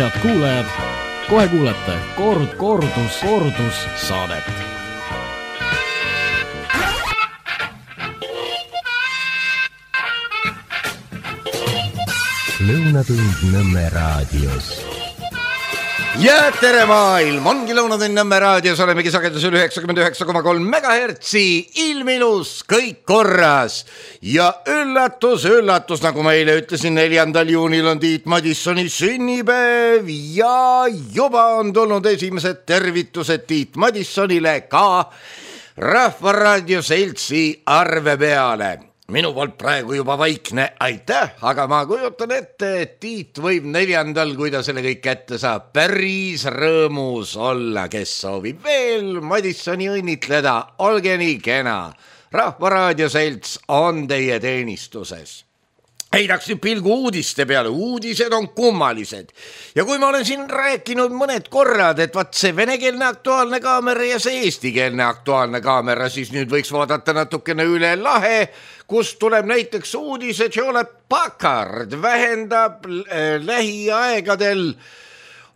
Head kuulajad, kohe kuulete kordus saadet. Lõunatund Nõmme raadios. Ja tere maailm, ongi Lõunatund Nõmme raadios, olemegi sagedusel 99,3 megahertsi, ilmilus, kõik korras. Ja üllatus, nagu ma eile ütlesin, 4. juunil on Tiit Madissoni sünnipäev ja juba on tulnud esimesed tervitused Tiit Madissonile ka Rahvaraadio seltsi arve peale. Minu poolt praegu juba vaikne, aitäh, aga ma kujutan ette, et Tiit võib 4. kui ta selle kõik kätte saab, päris rõõmus olla, kes soovib veel Madissoni õnnitleda, olge nii kena. Rahvaraadio selts on teie teenistuses. Heidaks nüüd pilgu uudiste peale, uudised on kummalised. Ja kui ma olen siin rääkinud mõned korrad, et vaat see venekeelne Aktuaalne kaamera ja see eestikeelne Aktuaalne kaamera, siis nüüd võiks vaadata natukene üle lahe, kus tuleb näiteks uudis, et Hewlett Packard vähendab lähiaegadel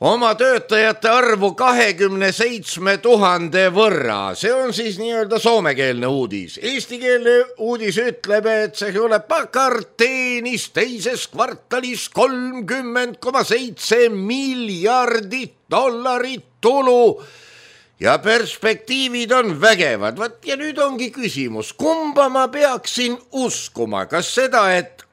oma töötajate arvu 27 000 võrra. See on siis nii-öelda soomekeelne uudis. Eestikeelne uudis ütleb, et see Hewlett Packard teenis teises kvartalis 30,7 miljardit dollarit tulu ja perspektiivid on vägevad. Ja nüüd ongi küsimus, kumba ma peaksin uskuma, kas seda, et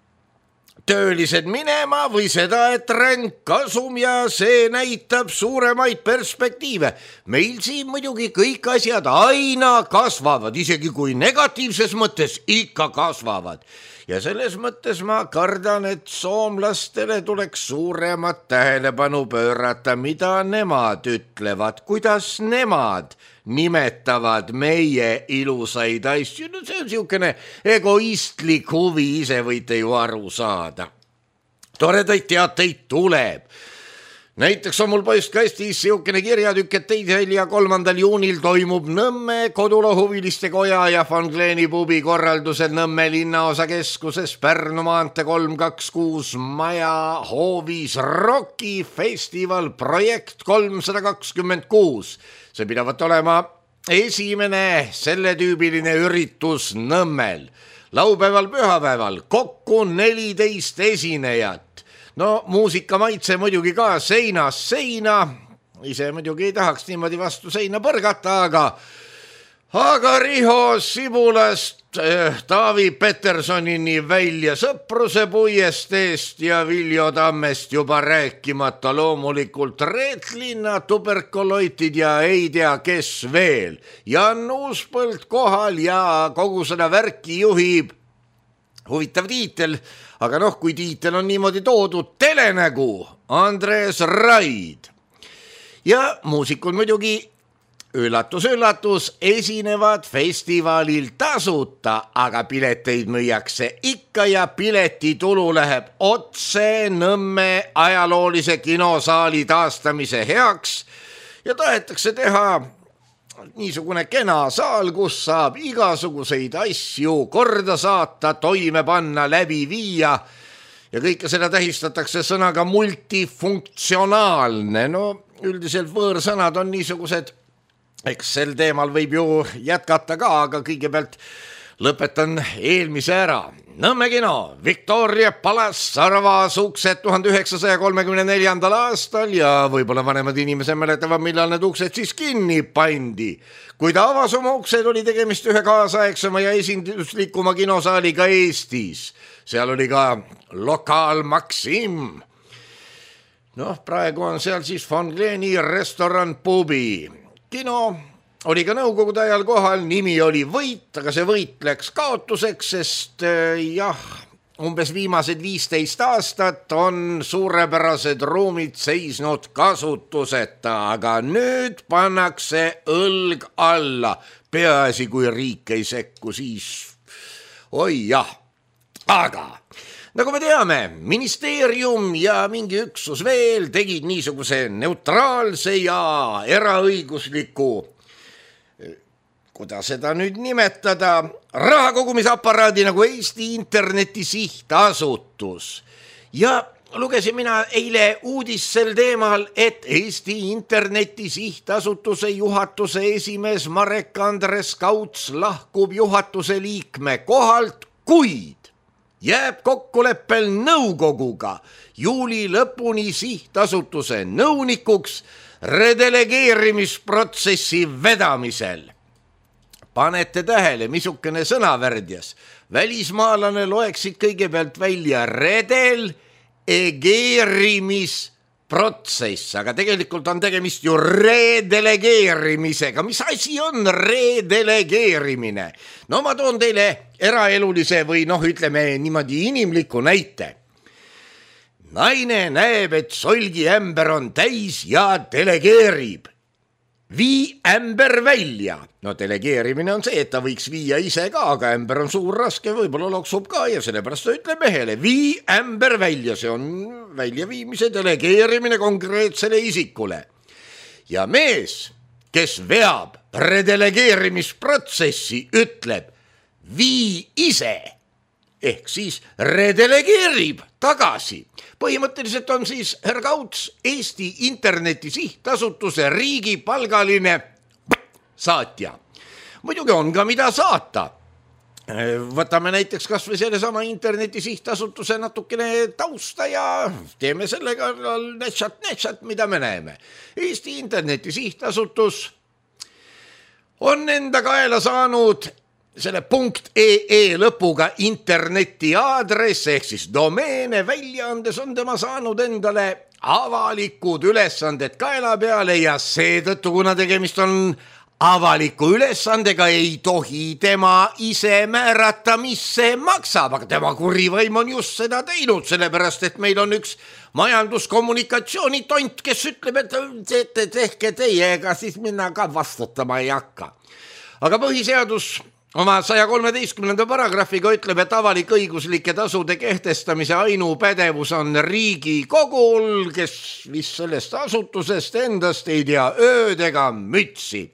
töölised minema või seda, et ränk kasum ja see näitab suuremaid perspektiive. Meil siin muidugi kõik asjad aina kasvavad, isegi kui negatiivses mõttes ikka kasvavad. Ja selles mõttes ma kardan, et soomlastele tuleks suuremat tähelepanu pöörata, mida nemad ütlevad, kuidas nemad nimetavad meie ilusaid asju. No see on siukene egoistlik huvi, ise võite ju aru saada. Toredaid teateid tuleb. Näiteks on mul postkastis siukene kirjatükk, et 2. ja 3. juunil toimub Nõmme Kodulohuviliste Koja ja Von Kleeni pubi korraldusel Nõmme linnaosakeskuses Pärnu maantee 326 maja hoovis rokifestival projekt 326. See pidavat olema esimene selletüübiline üritus Nõmmel. Laupäeval, pühapäeval kokku 14 esinejat. No muusika maitse muidugi ka seinast seina, ise muidugi ei tahaks niimoodi vastu seina põrgata, aga Riho Sibulast Taavi Petersonini välja Sõpruse puiesteest ja Viljo Tammest juba rääkimata loomulikult Reetlinna tuberkuloitid ja ei tea kes veel. Jan Uuspõld kohal ja kogu seda värki juhib huvitav tiitel, aga kui tiitel on niimoodi toodud, telenägu Andres Raid. Ja muusikud muidugi, üllatus, esinevad festivalil tasuta, aga pileteid müüakse ikka ja piletitulu läheb otse Nõmme ajaloolise kinosaali taastamise heaks ja tahetakse teha niisugune kena saal, kus saab igasuguseid asju korda saata, toime panna, läbi viia ja kõike seda tähistatakse sõnaga multifunktsionaalne. No üldiselt võõrsõnad on niisugused, eks sel teemal võib ju jätkata ka, aga kõigepealt lõpetan eelmise ära. Nõmme kino, Victoria Palace avas uksed 1934. aastal ja võib-olla vanemad inimesed mäletavad, millal need uksed siis kinni pandi. Kui ta avas oma uksed, oli tegemist ühe kaasaegsema ja esinduslikuma kinosaaliga Eestis. Seal oli ka lokaal Maxim. Praegu on seal siis Von Kleeni restoran pubi. Kino oli ka nõukogude ajal kohal, nimi oli Võit, aga see võit läks kaotuseks, sest umbes viimased 15 aastat on suurepärased ruumid seisnud kasutuseta, aga nüüd pannakse õlg alla. Peaasi, kui riik ei sekku, siis oi jah, aga nagu me teame, ministeerium ja mingi üksus veel tegid niisuguse neutraalse ja eraõigusliku, kuidas seda nüüd nimetada, rahakogumisaparaadi nagu Eesti Interneti Sihtasutus. Ja lugesin mina eile uudist sel teemal, et Eesti Interneti Sihtasutuse juhatuse esimees Marek Andres Kauts lahkub juhatuse liikme kohalt, kuid jääb kokkuleppel nõukoguga juuli lõpuni sihtasutuse nõunikuks redelegeerimisprotsessi vedamisel. Panete tähele, missugune sõnavärdjas. Välismaalane loeksid kõigepealt välja redelegeerimisprotsess, aga tegelikult on tegemist ju redelegeerimisega. Mis asi on redelegeerimine? No ma toon teile eraelulise või ütleme niimoodi inimliku näite. Naine näeb, et solgiämber on täis ja delegeerib. Vii ämber välja. No delegeerimine on see, et ta võiks viia ise ka, aga ämber on suur, raske, võib-olla loksub ka ja sellepärast ta ütleb mehele, vii ämber välja, see on väljaviimise delegeerimine konkreetsele isikule. Ja mees, kes veab redelegeerimisprotsessi, ütleb, vii ise, ehk siis redelegeerib tagasi. Põhimõtteliselt on siis herr Kauts Eesti Interneti Sihtasutuse riigipalgaline saatja. Muidugi on ka mida saata. Võtame näiteks kas või sellesama Interneti Sihtasutuse natukene tausta ja teeme sellega netsat, mida me näeme. Eesti Interneti Sihtasutus on enda kaela saanud selle .ee lõpuga interneti aadress ehk siis domeene väljaandes on tema saanud endale avalikud ülesanded kaela peale ja seetõttu, kuna tegemist on avaliku ülesandega, ei tohi tema ise määrata, mis see maksab, aga tema kurivõim on just seda teinud, sellepärast et meil on üks majanduskommunikatsioonitont, kes ütleb, et tehke teie, ega siis minna ka vastutama ei hakka. Aga põhiseadus oma 113. paragrahviga ütleb, et avalik-õiguslike tasude kehtestamise ainupädevus on Riigikogul, kes vist sellest asutusest endast ei tea ööd ega mütsi.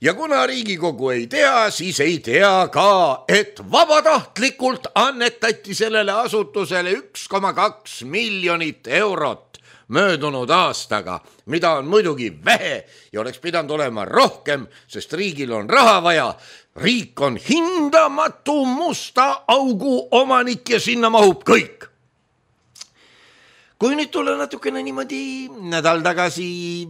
Ja kuna Riigikogu ei tea, siis ei tea ka, et vabatahtlikult annetati sellele asutusele 1,2 miljonit eurot möödunud aastaga, mida on muidugi vähe ja oleks pidanud olema rohkem, sest riigil on raha vaja. Riik on hindamatu musta augu omanik ja sinna mahub kõik. Kui nüüd tulla natukene niimoodi nädal tagasi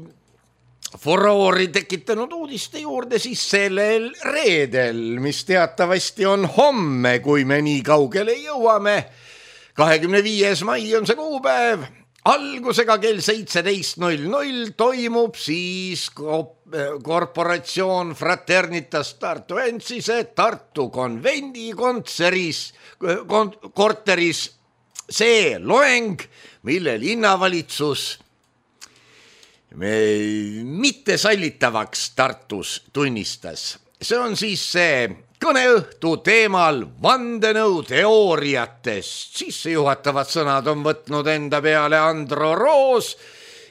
furoori tekitanud uudiste juurde, siis sellel reedel, mis teatavasti on homme, kui me nii kaugele jõuame, 25. mai on see kuupäev, algusega kell 17.00 toimub siis korporatsioon Fraternitas Tartu Ensise Tartu konvendi korteris see loeng, mille linnavalitsus mitte sallitavaks Tartus tunnistas. See on siis see kõneõhtu teemal vandenõuteooriatest. Sissejuhatavad sõnad on võtnud enda peale Andro Roos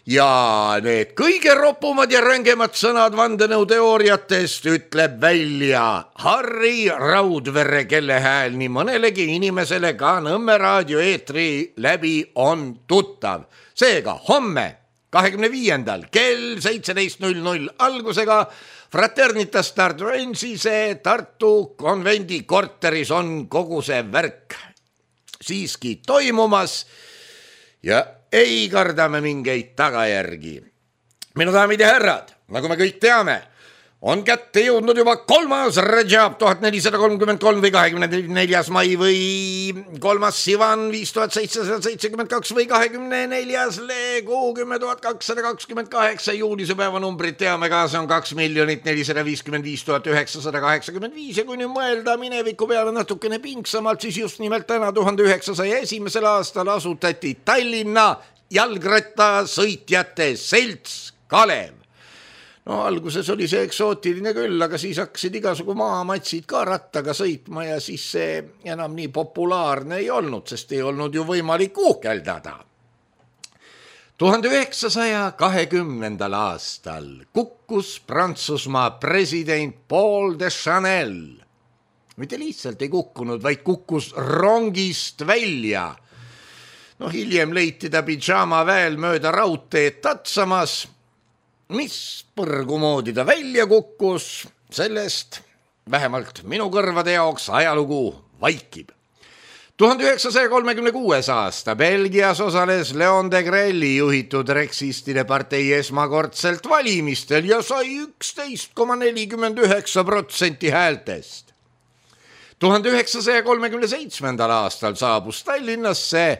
ja need kõige ropumad ja rängemad sõnad vandenõuteooriatest ütleb välja Harri Raudvere, kelle hääl nii mõnelegi inimesele ka Nõmme raadio eetri läbi on tuttav. Seega homme 25. kell 17.00 algusega Fraternitas Tartu Ensise Tartu konvendi korteris on kogu see värk siiski toimumas ja ei karda me mingeid tagajärgi. Minu daamid ja härrad, nagu me kõik teame, on kätte jõudnud juba 3. Rajab 1433 või 24. mai või 3. Sivan 5772 või 24. Leegu 10228 juulise päevanumbrit teame ka, see on 2 455 985 ja kui nüüd mõelda mineviku peale natukene pingsamalt, siis just nimelt täna 1901. aastal asutati Tallinna jalgrattasõitjate selts Kalev. No alguses oli see eksootiline küll, aga siis hakkasid igasugu maamatsid ka rattaga sõitma ja siis see enam nii populaarne ei olnud, sest ei olnud ju võimalik uhkeldada. 1920. aastal kukkus Prantsusmaa president Paul de Chanel. Mitte lihtsalt ei kukkunud, vaid kukkus rongist välja. Hiljem leiti ta pidžaama väel mööda raudteed tatsamas. Mis põrgu moodi ta välja kukkus, sellest vähemalt minu kõrvade jaoks ajalugu vaikib. 1936. aasta Belgias osales Leon de Grelli juhitud reksistide partei esmakordselt valimistel ja sai 11,49% häältest. 1937. aastal saabus Tallinnasse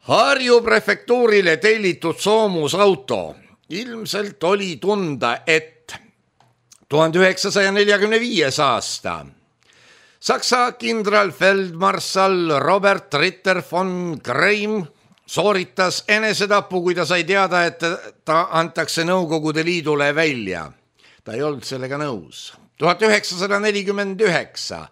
Harju prefektuurile tellitud soomusauto. Ilmselt oli tunda, et 1945. aasta Saksa kindralfeldmarssal Robert Ritter von Greim sooritas enesetapu, kui ta sai teada, et ta antakse Nõukogude Liidule välja. Ta ei olnud sellega nõus. 1949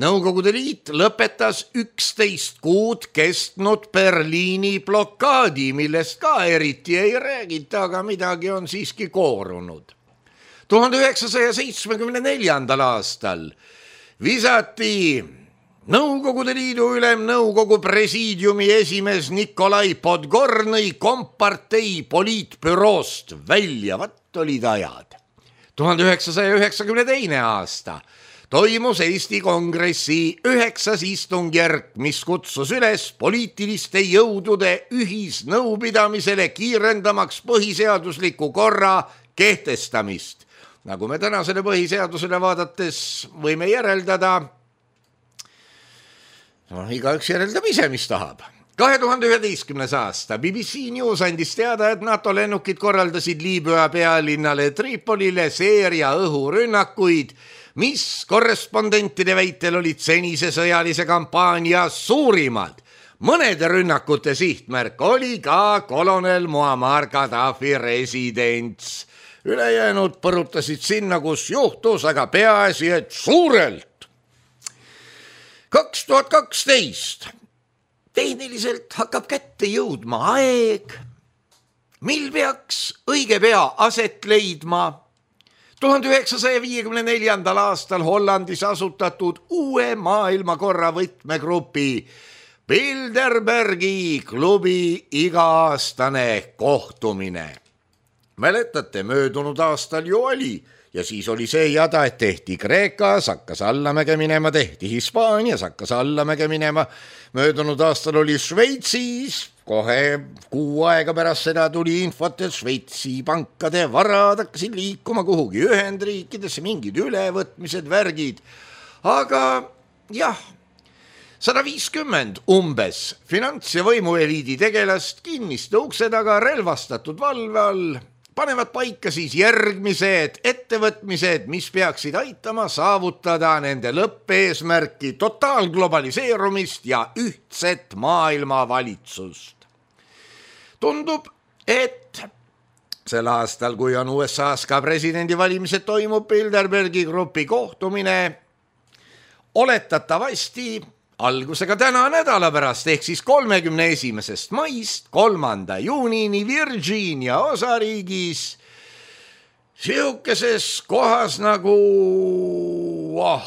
Nõukogude Liit lõpetas 11 kuud kestnud Berliini blokaadi, millest ka eriti ei räägita, aga midagi on siiski koorunud. 1974. aastal visati Nõukogude Liidu ülemnõukogu presiidiumi esimees Nikolai Podgornõi kompartei poliitbüroost välja. Vat olid ajad. 1992. aasta toimus Eesti Kongressi 9. istungjärk, mis kutsus üles poliitiliste jõudude ühisnõupidamisele kiirendamaks põhiseadusliku korra kehtestamist. Nagu me tänasele põhiseadusele vaadates võime järeldada, igaüks järeldab ise, mis tahab. 2011. aasta BBC News andis teada, et NATO lennukid korraldasid Liibüa pealinnale Tripolile seeria õhurünnakuid, mis korrespondentide väitel olid senise sõjalise kampaania suurimad. Mõnede rünnakute sihtmärk oli ka kolonel Muammar Gaddafi residents. Ülejäänud põrutasid sinna, kus juhtus, aga peaasi, et suurelt. 2012. Tehniliselt hakkab kätte jõudma aeg, mil peaks õige pea aset leidma 1954. aastal Hollandis asutatud uue maailmakorra võtmegrupi Bilderbergi klubi iga-aastane kohtumine. Mäletate, möödunud aastal ju oli ja siis oli see jada, et tehti Kreekas, hakkas allamäge minema, tehti Hispaanias, hakkas allamäge minema. Möödunud aastal oli Šveitsis, kohe kuu aega pärast seda tuli infot, et Šveitsi pankade varad hakkasid liikuma kuhugi Ühendriikidesse, mingid ülevõtmised, värgid. Aga jah, 150 umbes finants- ja võimueliidi tegelast kinniste ukse taga relvastatud valve all panevad paika siis järgmised ettevõtmised, mis peaksid aitama saavutada nende lõppeesmärki totaalglobaliseerumist ja ühtset maailmavalitsust. Tundub, et sel aastal, kui on USA-s ka presidendivalimised, toimub Bilderbergi grupi kohtumine oletatavasti algusega täna nädala pärast ehk siis 31. maist 3. juunini Virginia osariigis siukeses kohas nagu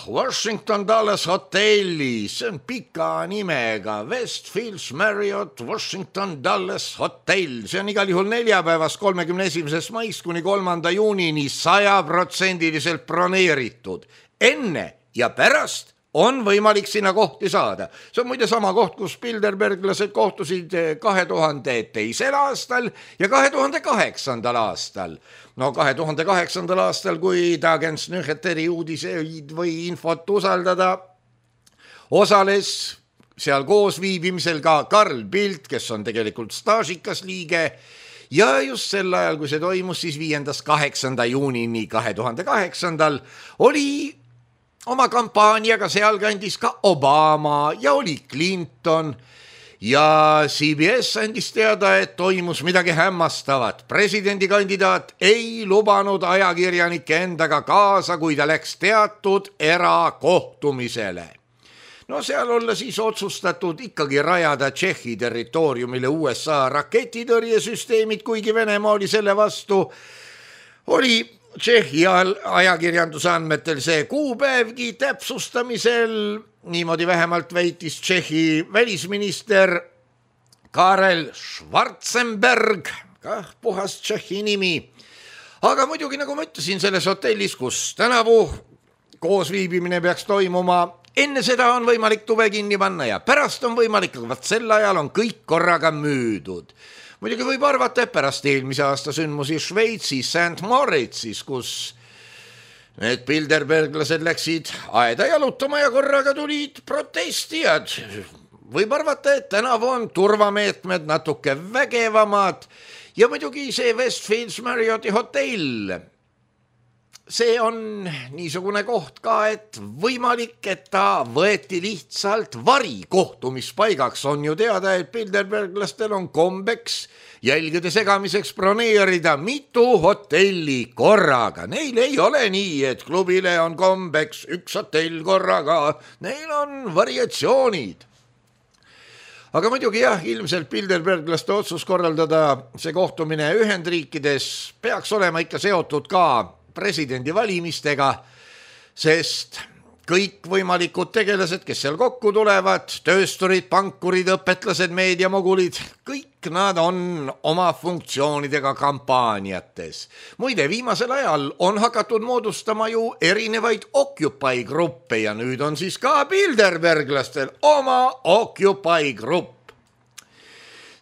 Washington Dallas hotellis, see on pika nimega Westfields Marriott Washington Dallas hotell, see on igal juhul neljapäevast 31. maist kuni 3. juunini 100% broneeritud. Enne ja pärast on võimalik sinna kohti saada. See on muide sama koht, kus Bilderberglased kohtusid 2002. aastal ja 2008. aastal. 2008. aastal, kui Dagens Nyheteri uudiseid või infot usaldada, osales seal koos viibimisel ka Carl Bildt, kes on tegelikult staažikas liige, ja just sel ajal, kui see toimus, siis 5.–8. juunini 2008. oli oma kampaaniaga sealkandis ka Obama ja oli Clinton ja CBS andis teada, et toimus midagi hämmastavat. Presidendikandidaat ei lubanud ajakirjanike endaga kaasa, kui ta läks teatud erakohtumisele. Seal olla siis otsustatud ikkagi rajada Tšehhi territooriumile USA raketitõrjesüsteemid, kuigi Venemaa oli selle vastu, oli Tšehhi ajakirjanduse andmetel see kuupäevgi täpsustamisel, niimoodi vähemalt väitis Tšehhi välisminister Karel Schwarzenberg, kah puhas tšehhi nimi. Aga muidugi, nagu ma ütlesin, selles hotellis, kus tänavu koosviibimine peaks toimuma, enne seda on võimalik tuve kinni panna ja pärast on võimalik, aga sel ajal on kõik korraga müüdud. Muidugi võib arvata, et pärast eelmise aasta sündmusi Šveitsis, St. Moritzis, kus need bilderberglased läksid aeda jalutama ja korraga tulid protestijad. Võib arvata, et tänavu on turvameetmed natuke vägevamad ja muidugi see Westfields Marrioti hotell. See on niisugune koht ka, et võimalik, et ta võeti lihtsalt varikohtumispaigaks. On ju teada, et bilderberglastel on kombeks jälgede segamiseks broneerida mitu hotelli korraga. Neil ei ole nii, et klubile on kombeks üks hotell korraga. Neil on variatsioonid. Aga muidugi jah, ilmselt bilderberglaste otsus korraldada see kohtumine Ühendriikides peaks olema ikka seotud ka presidendivalimistega, sest kõik võimalikud tegelased, kes seal kokku tulevad, töösturid, pankurid, õpetlased, meediamogulid, kõik nad on oma funktsioonidega kampaaniates. Muide, viimasel ajal on hakatud moodustama ju erinevaid Occupy-gruppe ja nüüd on siis ka bilderberglastel oma Occupy-grupp.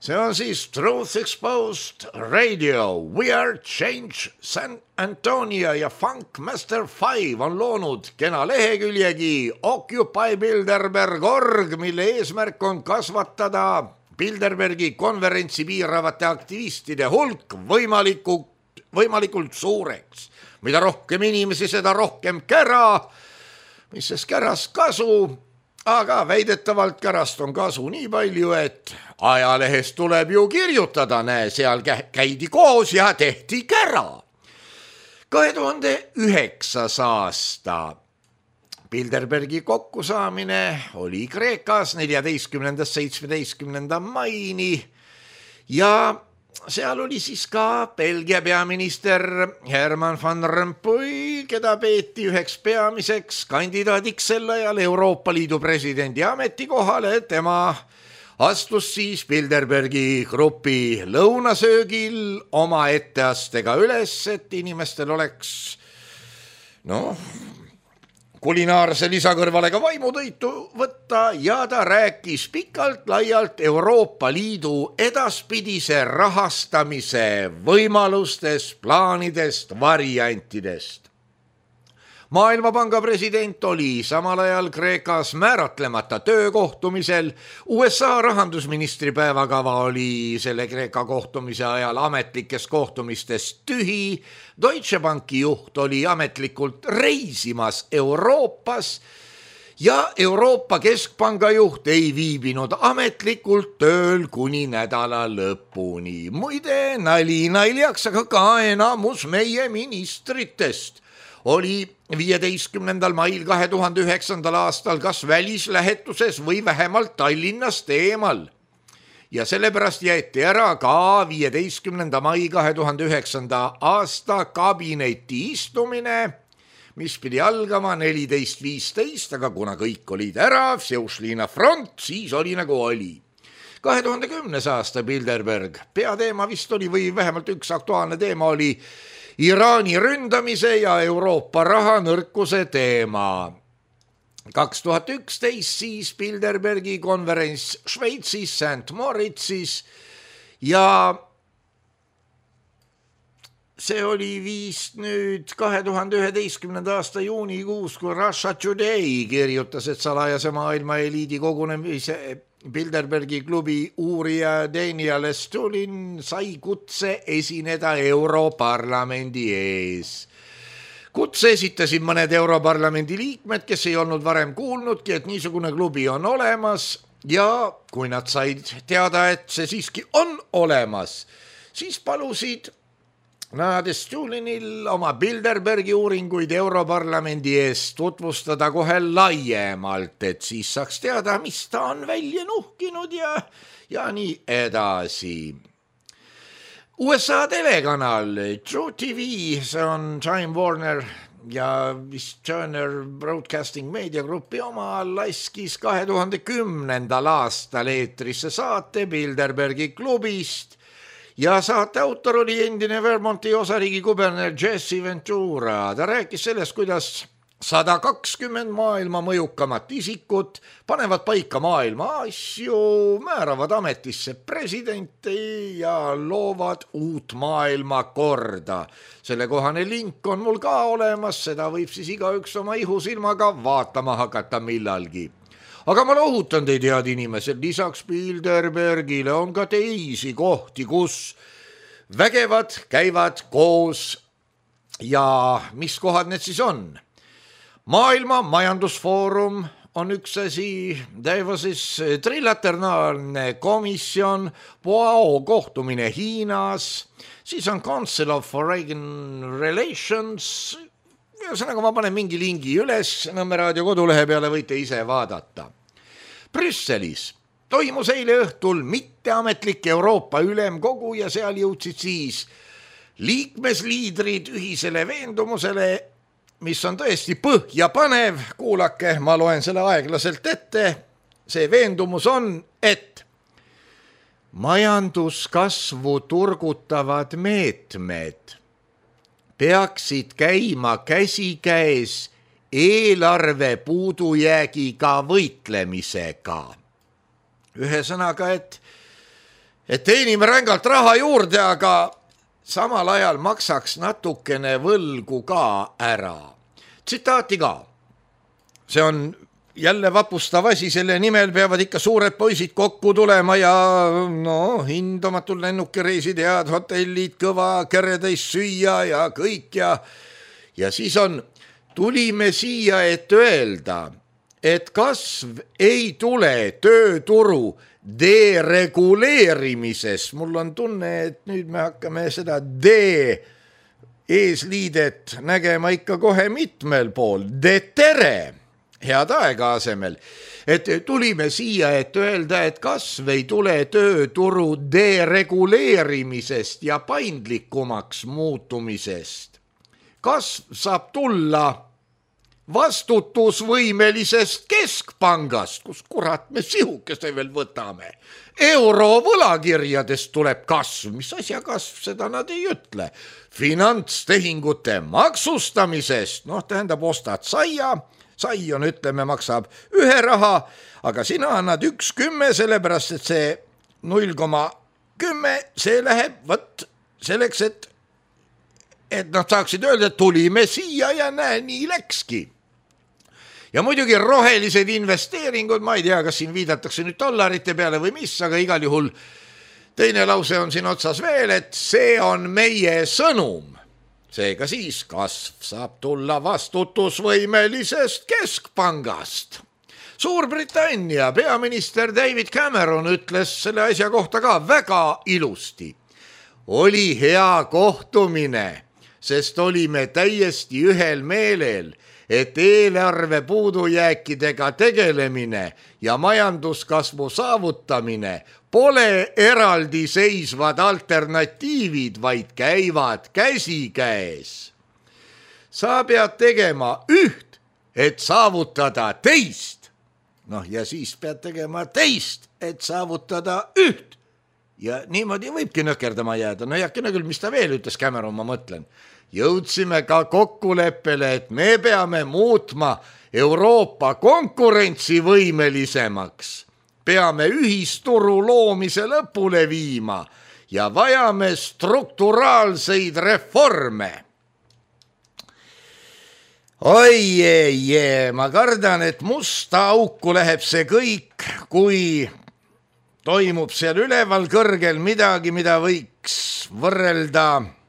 See on siis Truth Exposed Radio, We Are Change, San Antonio ja Funk Master 5 on loonud kena leheküljegi Occupy Bilderberg.org, mille eesmärk on kasvatada Bilderbergi konverentsi piiravate aktivistide hulk võimalikult suureks. Mida rohkem inimesi, seda rohkem kära, mis sest kärast kasu. Aga väidetavalt kärast on kasu nii palju, et ajalehes tuleb ju kirjutada, näe, seal käidi koos ja tehti kära. 2009. aasta Bilderbergi kokkusaamine oli Kreekas 14.–17. maini ja seal oli siis ka Belgia peaminister Herman van Rompuy, keda peeti üheks peamiseks kandidaadiks sel ajal Euroopa Liidu presidendi ametikohale. Tema astus siis Bilderbergi grupi lõunasöögil oma etteastega üles, et inimestel oleks kulinaarse lisakõrvale ka vaimutõitu võtta ja ta rääkis pikalt laialt Euroopa Liidu edaspidise rahastamise võimalustest, plaanidest, variantidest. Maailmapanga president oli samal ajal Kreekas määratlemata töökohtumisel. USA rahandusministri päevakava oli selle Kreeka kohtumise ajal ametlikest kohtumistest tühi. Deutsche Banki juht oli ametlikult reisimas Euroopas ja Euroopa Keskpanga juht ei viibinud ametlikult tööl kuni nädala lõpuni. Muide, nali naljaks, aga ka enamus meie ministritest oli 15. mail 2009. aastal kas välislähetuses või vähemalt Tallinnast eemal. Ja sellepärast jäeti ära ka 15. mai 2009. aasta kabineti istumine, mis pidi algama 14.15, aga kuna kõik olid ära, Vseušlina front, siis oli nagu oli. 2010. aasta Bilderberg peateema vist oli või vähemalt üks aktuaalne teema oli Iraani ründamise ja Euroopa rahanõrkuse teema. 2011 siis Bilderbergi konverents Šveitsis, St. Moritzis ja see oli vist nüüd 2011. aasta juunikuus, kui Russia Today kirjutas, et salajase maailma eliidi kogunemise Bilderbergi klubi uurija Daniel Stulin sai kutse esineda Europarlamendi ees. Kutse esitasid mõned Europarlamendi liikmed, kes ei olnud varem kuulnudki, et niisugune klubi on olemas ja kui nad said teada, et see siiski on olemas, siis palusid nad Stulinil oma Bilderbergi uuringuid Europarlamendi ees tutvustada kohe laiemalt, et siis saaks teada, mis ta on välja nuhkinud ja nii edasi. USA telekanal True TV, see on Time Warner ja vist Turner Broadcasting Media Grupi oma laskis 2010. aastal eetrisse saate Bilderbergi klubist ja saate autor oli endine Vermonti osariigi kuberner Jesse Ventura. Ta rääkis sellest, kuidas 120 maailma mõjukamat isikut panevad paika maailma asju, määravad ametisse presidenti ja loovad uut maailmakorda. Sellekohane link on mul ka olemas, seda võib siis igaüks oma ihusilmaga vaatama hakata millalgi. Aga ma lohutan teid, head inimesed, lisaks Bilderbergile on ka teisi kohti, kus vägevad käivad koos ja mis kohad need siis on? Maailma majandusfoorum on üks asi, Davosis trilateraalne komisjon, Boao kohtumine Hiinas, siis on Council of Foreign Relations, ühesõnaga ma panen mingi lingi üles Nõmme raadio kodulehe peale, võite ise vaadata. Brüsselis toimus eile õhtul mitteametlik Euroopa ülemkogu ja seal jõudsid siis liikmesliidrid ühisele veendumusele, mis on tõesti põhjapanev, kuulake, ma loen selle aeglaselt ette. See veendumus on, et majanduskasvu turgutavad meetmed peaksid käima käsikäes eelarve puudujäägiga võitlemisega. Ühesõnaga, et teenime rängalt raha juurde, aga samal ajal maksaks natukene võlgu ka ära. Tsitaati ka. See on jälle vapustav asi, selle nimel peavad ikka suured poisid kokku tulema ja hindamatul lennukireisid, head hotellid, kõva keretäis süüa ja kõik ja siis on, tulime siia, et öelda, et kasv ei tule tööturu dereguleerimisest. Mul on tunne, et nüüd me hakkame seda eesliidet nägema ikka kohe mitmel pool. Tere, head aega asemel. Et tulime siia, et öelda, et kasv ei tule tööturu dereguleerimisest ja paindlikumaks muutumisest. Kasv saab tulla vastutusvõimelisest keskpangast, kus kurat me sihukese veel võtame. Eurovõlakirjadest tuleb kasv, mis asja kasv, seda nad ei ütle. Finantstehingute maksustamisest, tähendab ostad saia, sai on, ütleme, maksab 1 raha, aga sina annad 1,10, sellepärast et see 0,10, see läheb selleks, et nad saaksid öelda, et tulime siia ja näe, nii läkski. Ja muidugi rohelised investeeringud, ma ei tea, kas siin viidatakse nüüd dollarite peale või mis, aga igal juhul teine lause on siin otsas veel, et see on meie sõnum. Seega siis kasv saab tulla vastutusvõimelisest keskpangast. Suurbritannia peaminister David Cameron ütles selle asja kohta ka väga ilusti. Oli hea kohtumine, sest olime täiesti ühel meelel, et eelarve puudujääkidega tegelemine ja majanduskasvu saavutamine pole eraldiseisvad alternatiivid, vaid käivad käsikäes. Sa pead tegema üht, et saavutada teist. Ja siis pead tegema teist, et saavutada üht. Ja niimoodi võibki nökerdama jääda. Jäkkine küll, mis ta veel ütles, Cameron, ma mõtlen. Jõudsime ka kokkuleppele, et me peame muutma Euroopa konkurentsivõimelisemaks. Peame ühisturu loomise lõpule viima ja vajame strukturaalseid reforme. Oi, ma kardan, et musta auku läheb see kõik, kui toimub seal üleval kõrgel midagi, mida võiks võrrelda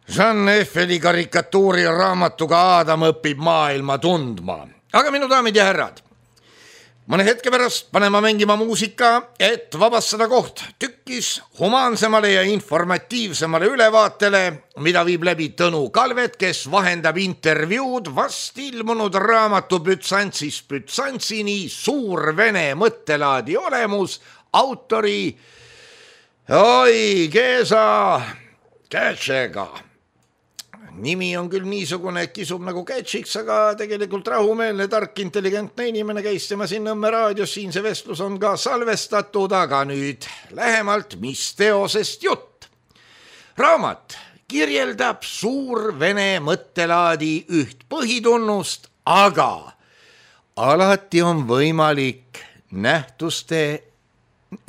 Jean Eiffeli karikatuuri raamatuga Aadam õpib maailma tundma. Aga minu daamid ja härrad, mõne hetke pärast panema mängima muusika, et vabastada koht tükkis humaansemale ja informatiivsemale ülevaatele, mida viib läbi Tõnu Kalvet, kes vahendab intervjuud vast ilmunud raamatu Bütsantsist Bütsantsini suur vene mõttelaadi olemus autori Geza Kätšega. nimi on küll niisugune, et kisub nagu Kätsiks, aga tegelikult rahumeelne, tark, intelligentne inimene käis tema siin Nõmme raadios, siin see vestlus on ka salvestatud, aga nüüd lähemalt, mis teosest jutt. Raamat kirjeldab suurvene mõttelaadi üht põhitunnust, aga alati on võimalik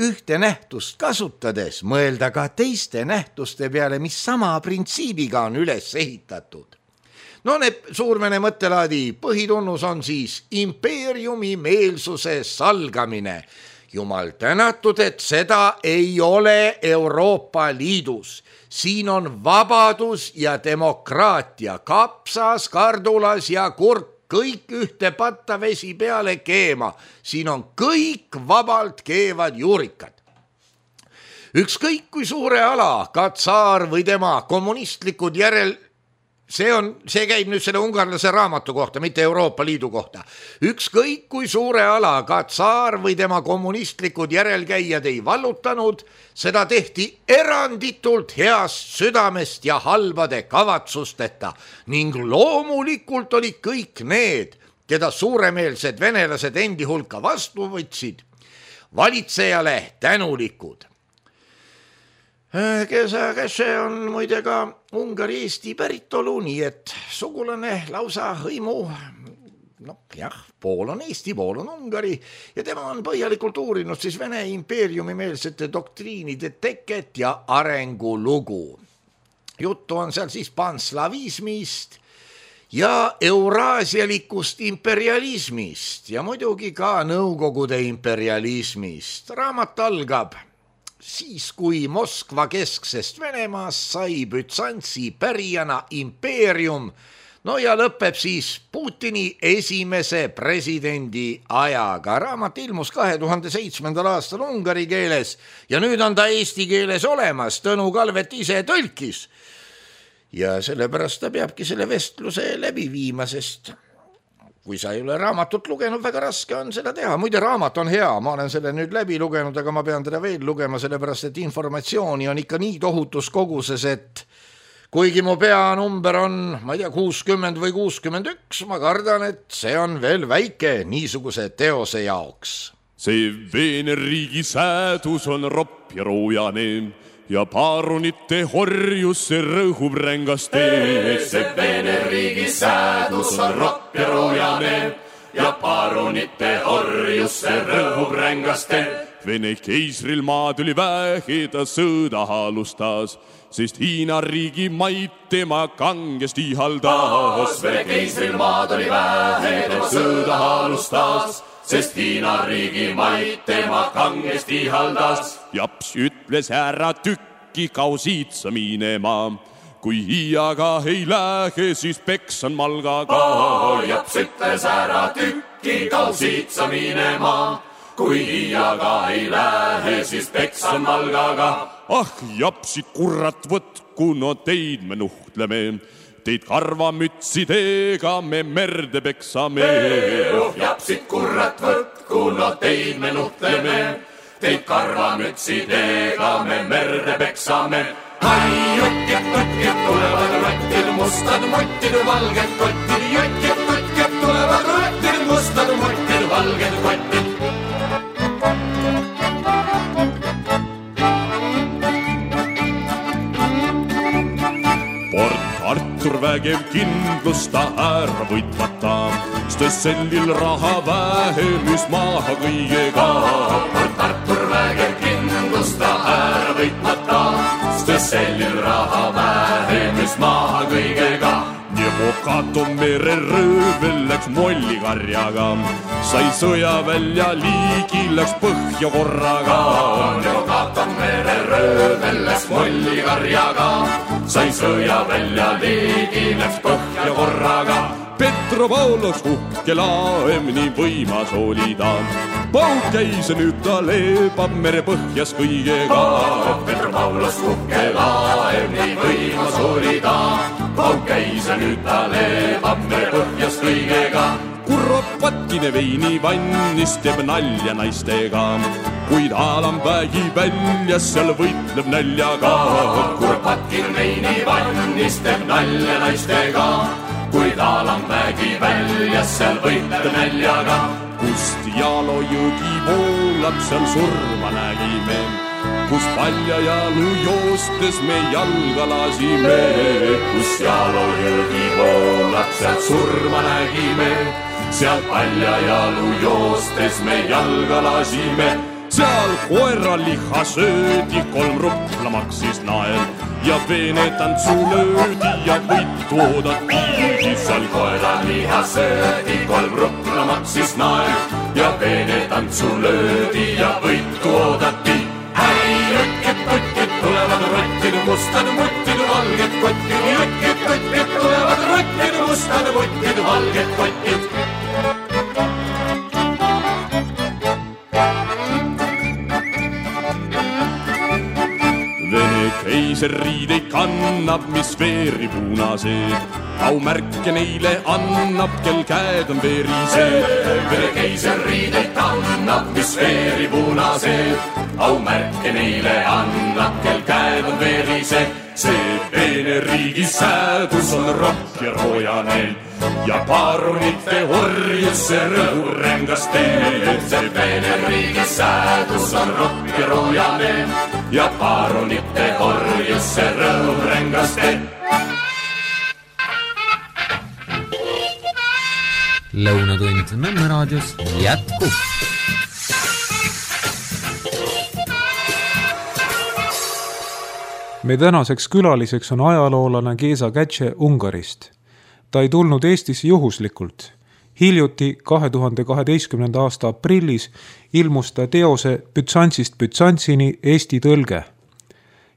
ühte nähtust kasutades mõelda ka teiste nähtuste peale, mis sama printsiibiga on üles ehitatud. No need suurvene mõttelaadi põhitunnus on siis impeeriumi meelsuse salgamine. Jumal tänatud, et seda ei ole Euroopa Liidus. Siin on vabadus ja demokraatia, kapsas, kardulas ja kurk. Kõik ühte patta vesi peale keema. Siin on kõik vabalt keevad juurikad. Ükskõik kui suure ala, ka tsaar või tema kommunistlikud see käib nüüd selle ungarlase raamatu kohta, mitte Euroopa Liidu kohta. Ükskõik kui suure ala, ka tsaar või tema kommunistlikud järelkäijad ei vallutanud, seda tehti eranditult heast südamest ja halbade kavatsusteta ning loomulikult olid kõik need, keda suuremeelsed venelased endi hulka vastu võtsid, valitsejale tänulikud. Kes see on muide ka Ungari-Eesti päritolu, nii et sugulane lausa hõimu, pool on Eesti, pool on Ungari ja tema on põhjalikult uurinud siis Vene impeeriumi meelsete doktriinide teket ja arengulugu. Juttu on seal siis panslavismist ja euraasialikust imperialismist ja muidugi ka Nõukogude imperialismist. Raamat algab siis, kui Moskva kesksest Venemaast sai Bütsantsi pärijana impeerium, no ja lõpeb siis Putini esimese presidendi ajaga. Raamat ilmus 2007. aastal ungari keeles ja nüüd on ta eesti keeles olemas, Tõnu Kalvet ise tõlkis. Ja sellepärast ta peabki selle vestluse läbi viima, sest kui sa ei ole raamatut lugenud, väga raske on seda teha. Muide, raamat on hea, ma olen selle nüüd läbi lugenud, aga ma pean teda veel lugema, sellepärast et informatsiooni on ikka nii tohutus koguses, et kuigi mu peanumber on, ma ei tea, 60 või 61, ma kardan, et see on veel väike niisuguse teose jaoks. See Veene riigi säädus on ropp ja roojane ja paarunite horjus see rõhub rängaste. See Veene riigi säädus on ropp ja roojane ja paarunite horjus see rõhub rängaste. Vene keisril maad oli vähe, ta sõda alustas, sest Hiina riigi maid tema kangesti ihaldas. Vene keisril maad oli vähe, ta sõda alustas, sest Hiina riigi maid tema kangesti ihaldas. Japs ütles ära tükki kausiitsa minema, kui hiiaga ei lähe, siis peksan malgaga. Japs ütles ära tükki kausiitsa minema, kui hiiaga ei lähe, siis peksan malgaga. Ah, japsid kurrat võtku, no teid me nuhtleme, teid karvamütsidega me merde peksame. Japsid kurrat võtku, no teid me nuhtleme, teid karvamütsidega me merde peksame. Hai, jutkid, tulevad rottid, mustad mottid, valged kottid. Jutkid, tulevad rottid, mustad mottid, valged kottid. Artur vägev kindlusta ära võitmata, Stössellil raha vähemus maha kõigega. Artur vägev kindlusta ära võitmata, Stössellil raha vähemus maha kõigega. Nevokato mereröövel läks mollikarjaga, sai sõja välja liigi, läks põhja korraga. Nevokato mereröövel läks mollikarjaga, sai sõja välja liigi, läks põhja korraga. Petropavlos uhke laev, nii võimas oli ta, pauk käis ja nüüd ta leebab mere põhjas kõigega. Petropavlos uhke laev, nii võimas oli ta, pauk käis ja nüüd ta leebab mere põhjas kõigega. Kurvapatkine veini vannis teeb nalja naistega, kuid Alamvägi väljas seal võitleb näljaga. Kuropatkin veini vannis teeb nalja naistega, kuid Alamvägi väljas seal võitleb näljaga. Kust Jaalo jõgi voolab, seal surma nägime, kus Paljajalu joostes me jalga lasime. Kus Jaalo jõgi voolab, seal surma nägime, seal Paljajalu joostes me jalga lasime. Seal koeraliha söödi, 3 rupla maksis nael ja peenetantsu löödi ja võitu oodati. Seal koeraliha söödi, 3 rupla maksis nael ja peenetantsu löödi ja võitu oodati. Häi, rõkkid, tulevad rottid, mustad muttid, valged kottid. Rõkkid, tulevad rottid, mustad muttid, valged kottid. Vene keiseriideid kannab, mis veeri punased, aumärke neile annab, kel käed on verised. Vene keiseriideid kannab, mis veeri punased, aumärke neile annab, kel käed on verised. See Vene riigi säädus on rohk ja roojane ja paarunite orjus see rõhurängas teed. See Vene riigi säädus on rohk ja roojane ja paarunite orjus see rõhurängas teed. Lõunatund Nõmme raadios jätkub. Me tänaseks külaliseks on ajaloolane Géza Kätše Ungarist. Ta ei tulnud Eestisse juhuslikult. Hiljuti 2012. aasta aprillis ilmus ta teose Bütsantsist Bütsantsini Eesti tõlge.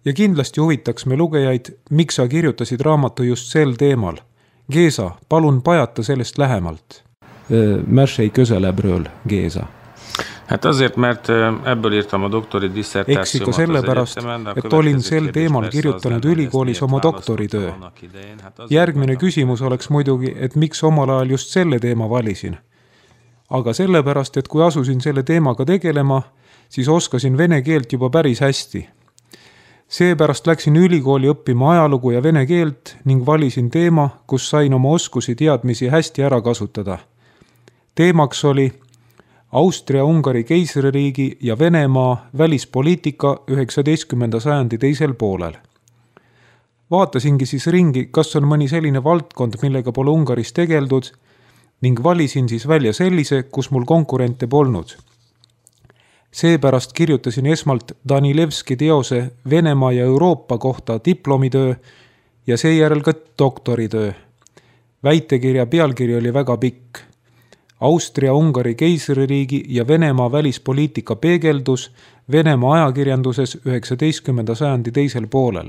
Ja kindlasti huvitaks me lugejaid, miks sa kirjutasid raamatu just sel teemal. Géza, palun pajata sellest lähemalt. Märsei köseläbrööl, Géza. Hát azért, mert ebből írtam a doktori dissertációmat. Eksiko sellepärast, et olin sel teemal kirjutanud ülikoolis oma doktoritöö. Järgmine küsimus oleks muidugi, et miks omal ajal just selle teema valisin. Aga sellepärast, et kui asusin selle teemaga tegelema, siis oskasin vene keelt juba päris hästi. Seepärast läksin ülikooli õppima ajalugu ja vene keelt ning valisin teema, kus sain oma oskusi teadmisi hästi ära kasutada. Teemaks oli Austria-Ungari keisririigi ja Venemaa välispoliitika 19. sajandi teisel poolel. Vaatasingi siis ringi, kas on mõni selline valdkond, millega pole Ungaris tegeldud, ning valisin siis välja sellise, kus mul konkurente polnud. Seepärast kirjutasin esmalt Danilevski teose Venemaa ja Euroopa kohta diplomitöö ja seejärel ka doktoritöö. Väitekirja pealkiri oli väga pikk. Austria-Ungari keisririigi ja Venemaa välispoliitika peegeldus Venemaa ajakirjanduses 19. sajandi teisel poolel.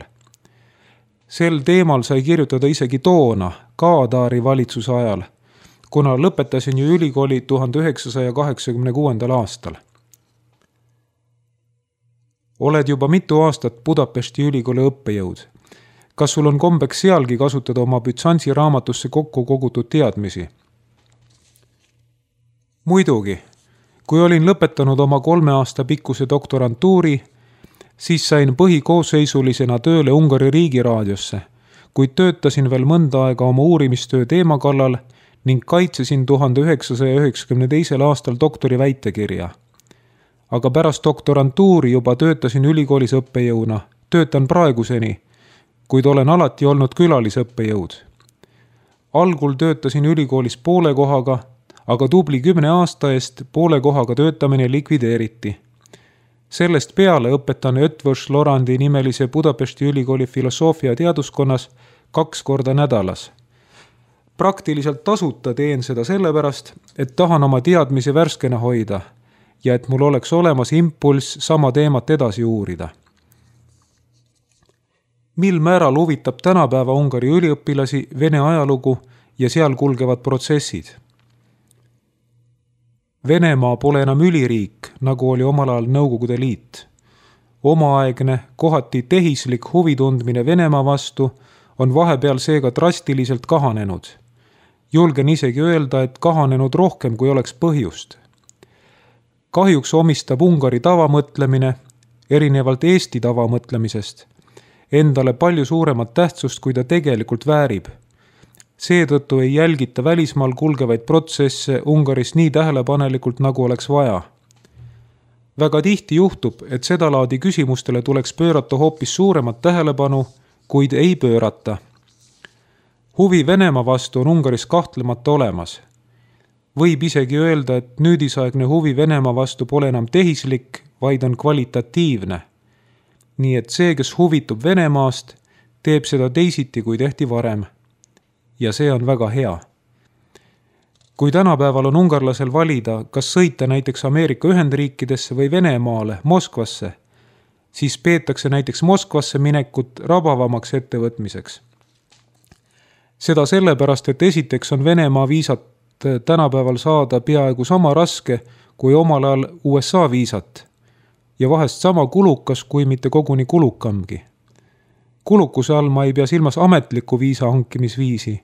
Sel teemal sai kirjutada isegi toona, Kaadaari valitsuse ajal, kuna lõpetasin ju ülikooli 1986. aastal. Oled juba mitu aastat Budapesti ülikooli õppejõud. Kas sul on kombeks sealgi kasutada oma Bütsantsi raamatusse kokku kogutud teadmisi? Muidugi, kui olin lõpetanud oma 3 aasta pikkuse doktorantuuri, siis sain põhikoosseisulisena tööle Ungari riigiraadiosse, kuid töötasin veel mõnda aega oma uurimistöö teema kallal ning kaitsesin 1992. aastal doktori väitekirja. Aga pärast doktorantuuri juba töötasin ülikoolis õppejõuna, töötan praeguseni, kuid olen alati olnud külalisõppejõud. Algul töötasin ülikoolis poole kohaga, aga tubli 10 aasta eest poole kohaga töötamine likvideeriti. Sellest peale õpetan Ötvös Lorandi nimelise Budapesti ülikooli filosoofia teaduskonnas 2 korda nädalas. Praktiliselt tasuta teen seda sellepärast, et tahan oma teadmisi värskena hoida ja et mul oleks olemas impulss sama teemat edasi uurida. Mil määral huvitab tänapäeva Ungari üliõpilasi Vene ajalugu ja seal kulgevad protsessid? Venemaa pole enam üliriik, nagu oli omal ajal Nõukogude Liit. Omaaegne, kohati tehislik huvitundmine Venemaa vastu on vahepeal seega drastiliselt kahanenud. Julgen isegi öelda, et kahanenud rohkem, kui oleks põhjust. Kahjuks omistab Ungari tavamõtlemine, erinevalt Eesti tavamõtlemisest, endale palju suuremat tähtsust, kui ta tegelikult väärib. Seetõttu ei jälgita välismaal kulgevaid protsesse Ungaris nii tähelepanelikult, nagu oleks vaja. Väga tihti juhtub, et seda laadi küsimustele tuleks pöörata hoopis suuremat tähelepanu, kuid ei pöörata. Huvi Venemaa vastu on Ungaris kahtlemata olemas. Võib isegi öelda, et nüüdisaegne huvi Venemaa vastu pole enam tehislik, vaid on kvalitatiivne. Nii et see, kes huvitub Venemaast, teeb seda teisiti, kui tehti varem. Ja see on väga hea. Kui tänapäeval on ungarlasel valida, kas sõita näiteks Ameerika Ühendriikidesse või Venemaale, Moskvasse, siis peetakse näiteks Moskvasse minekut rabavamaks ettevõtmiseks. Seda sellepärast, et esiteks on Venemaa viisat tänapäeval saada peaaegu sama raske kui omal ajal USA viisat ja vahest sama kulukas, kui mitte koguni kulukamgi. Kulukuse all ma ei pea silmas ametlikku viisa hankimisviisi,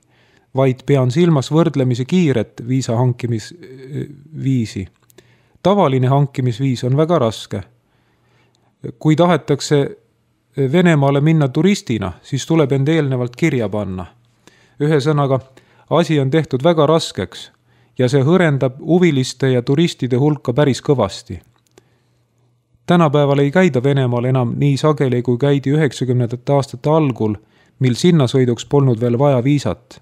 vaid pean silmas võrdlemisi kiiret viisa hankimisviisi. Tavaline hankimisviis on väga raske. Kui tahetakse Venemaale minna turistina, siis tuleb end eelnevalt kirja panna. Ühesõnaga, asi on tehtud väga raskeks ja see hõrendab huviliste ja turistide hulka päris kõvasti. Tänapäeval ei käida Venemaal enam nii sageli, kui käidi 90. aastate algul, mil sinnasõiduks polnud veel vaja viisat.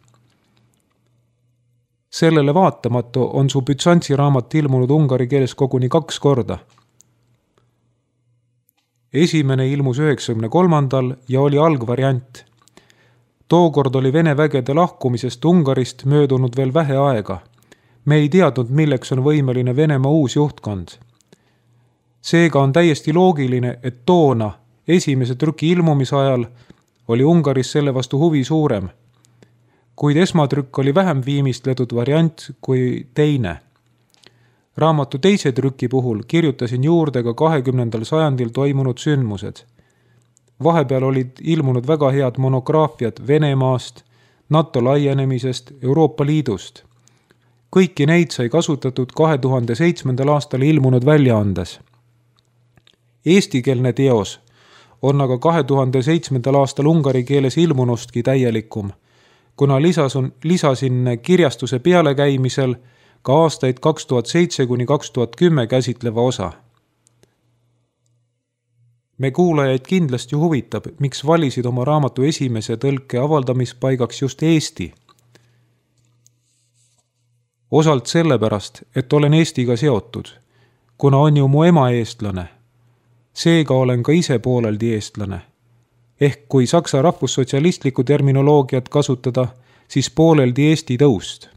Sellele vaatamatu on su Byzantsi raamat ilmunud ungari keeles koguni 2 korda. Esimene ilmus 93. ja oli algvariant. Tookord oli Vene vägede lahkumisest Ungarist möödunud veel vähe aega. Me ei teadnud, milleks on võimeline Venemaa uus juhtkond. Seega on täiesti loogiline, et toona, esimese trüki ilmumisajal, oli Ungaris selle vastu huvi suurem. Kuid esmatrükk oli vähem viimistletud variant kui teine. Raamatu teise trüki puhul kirjutasin juurde ka 20. sajandil toimunud sündmused. Vahepeal olid ilmunud väga head monograafiad Venemaast, NATO laienemisest, Euroopa Liidust. Kõiki neid sai kasutatud 2007. aastal ilmunud väljaandes. Eestikeelne teos on aga 2007. aastal ungari keeles ilmunustki täielikum, kuna lisasin kirjastuse pealekäimisel ka aastaid 2007–2010 käsitleva osa. Me kuulajaid kindlasti huvitab, miks valisid oma raamatu esimese tõlke avaldamispaigaks just Eesti. Osalt sellepärast, et olen Eestiga seotud, kuna on ju mu ema eestlane. Seega olen ka ise pooleldi eestlane. Ehk kui saksa rahvussotsialistlikku terminoloogiat kasutada, siis pooleldi Eesti tõust.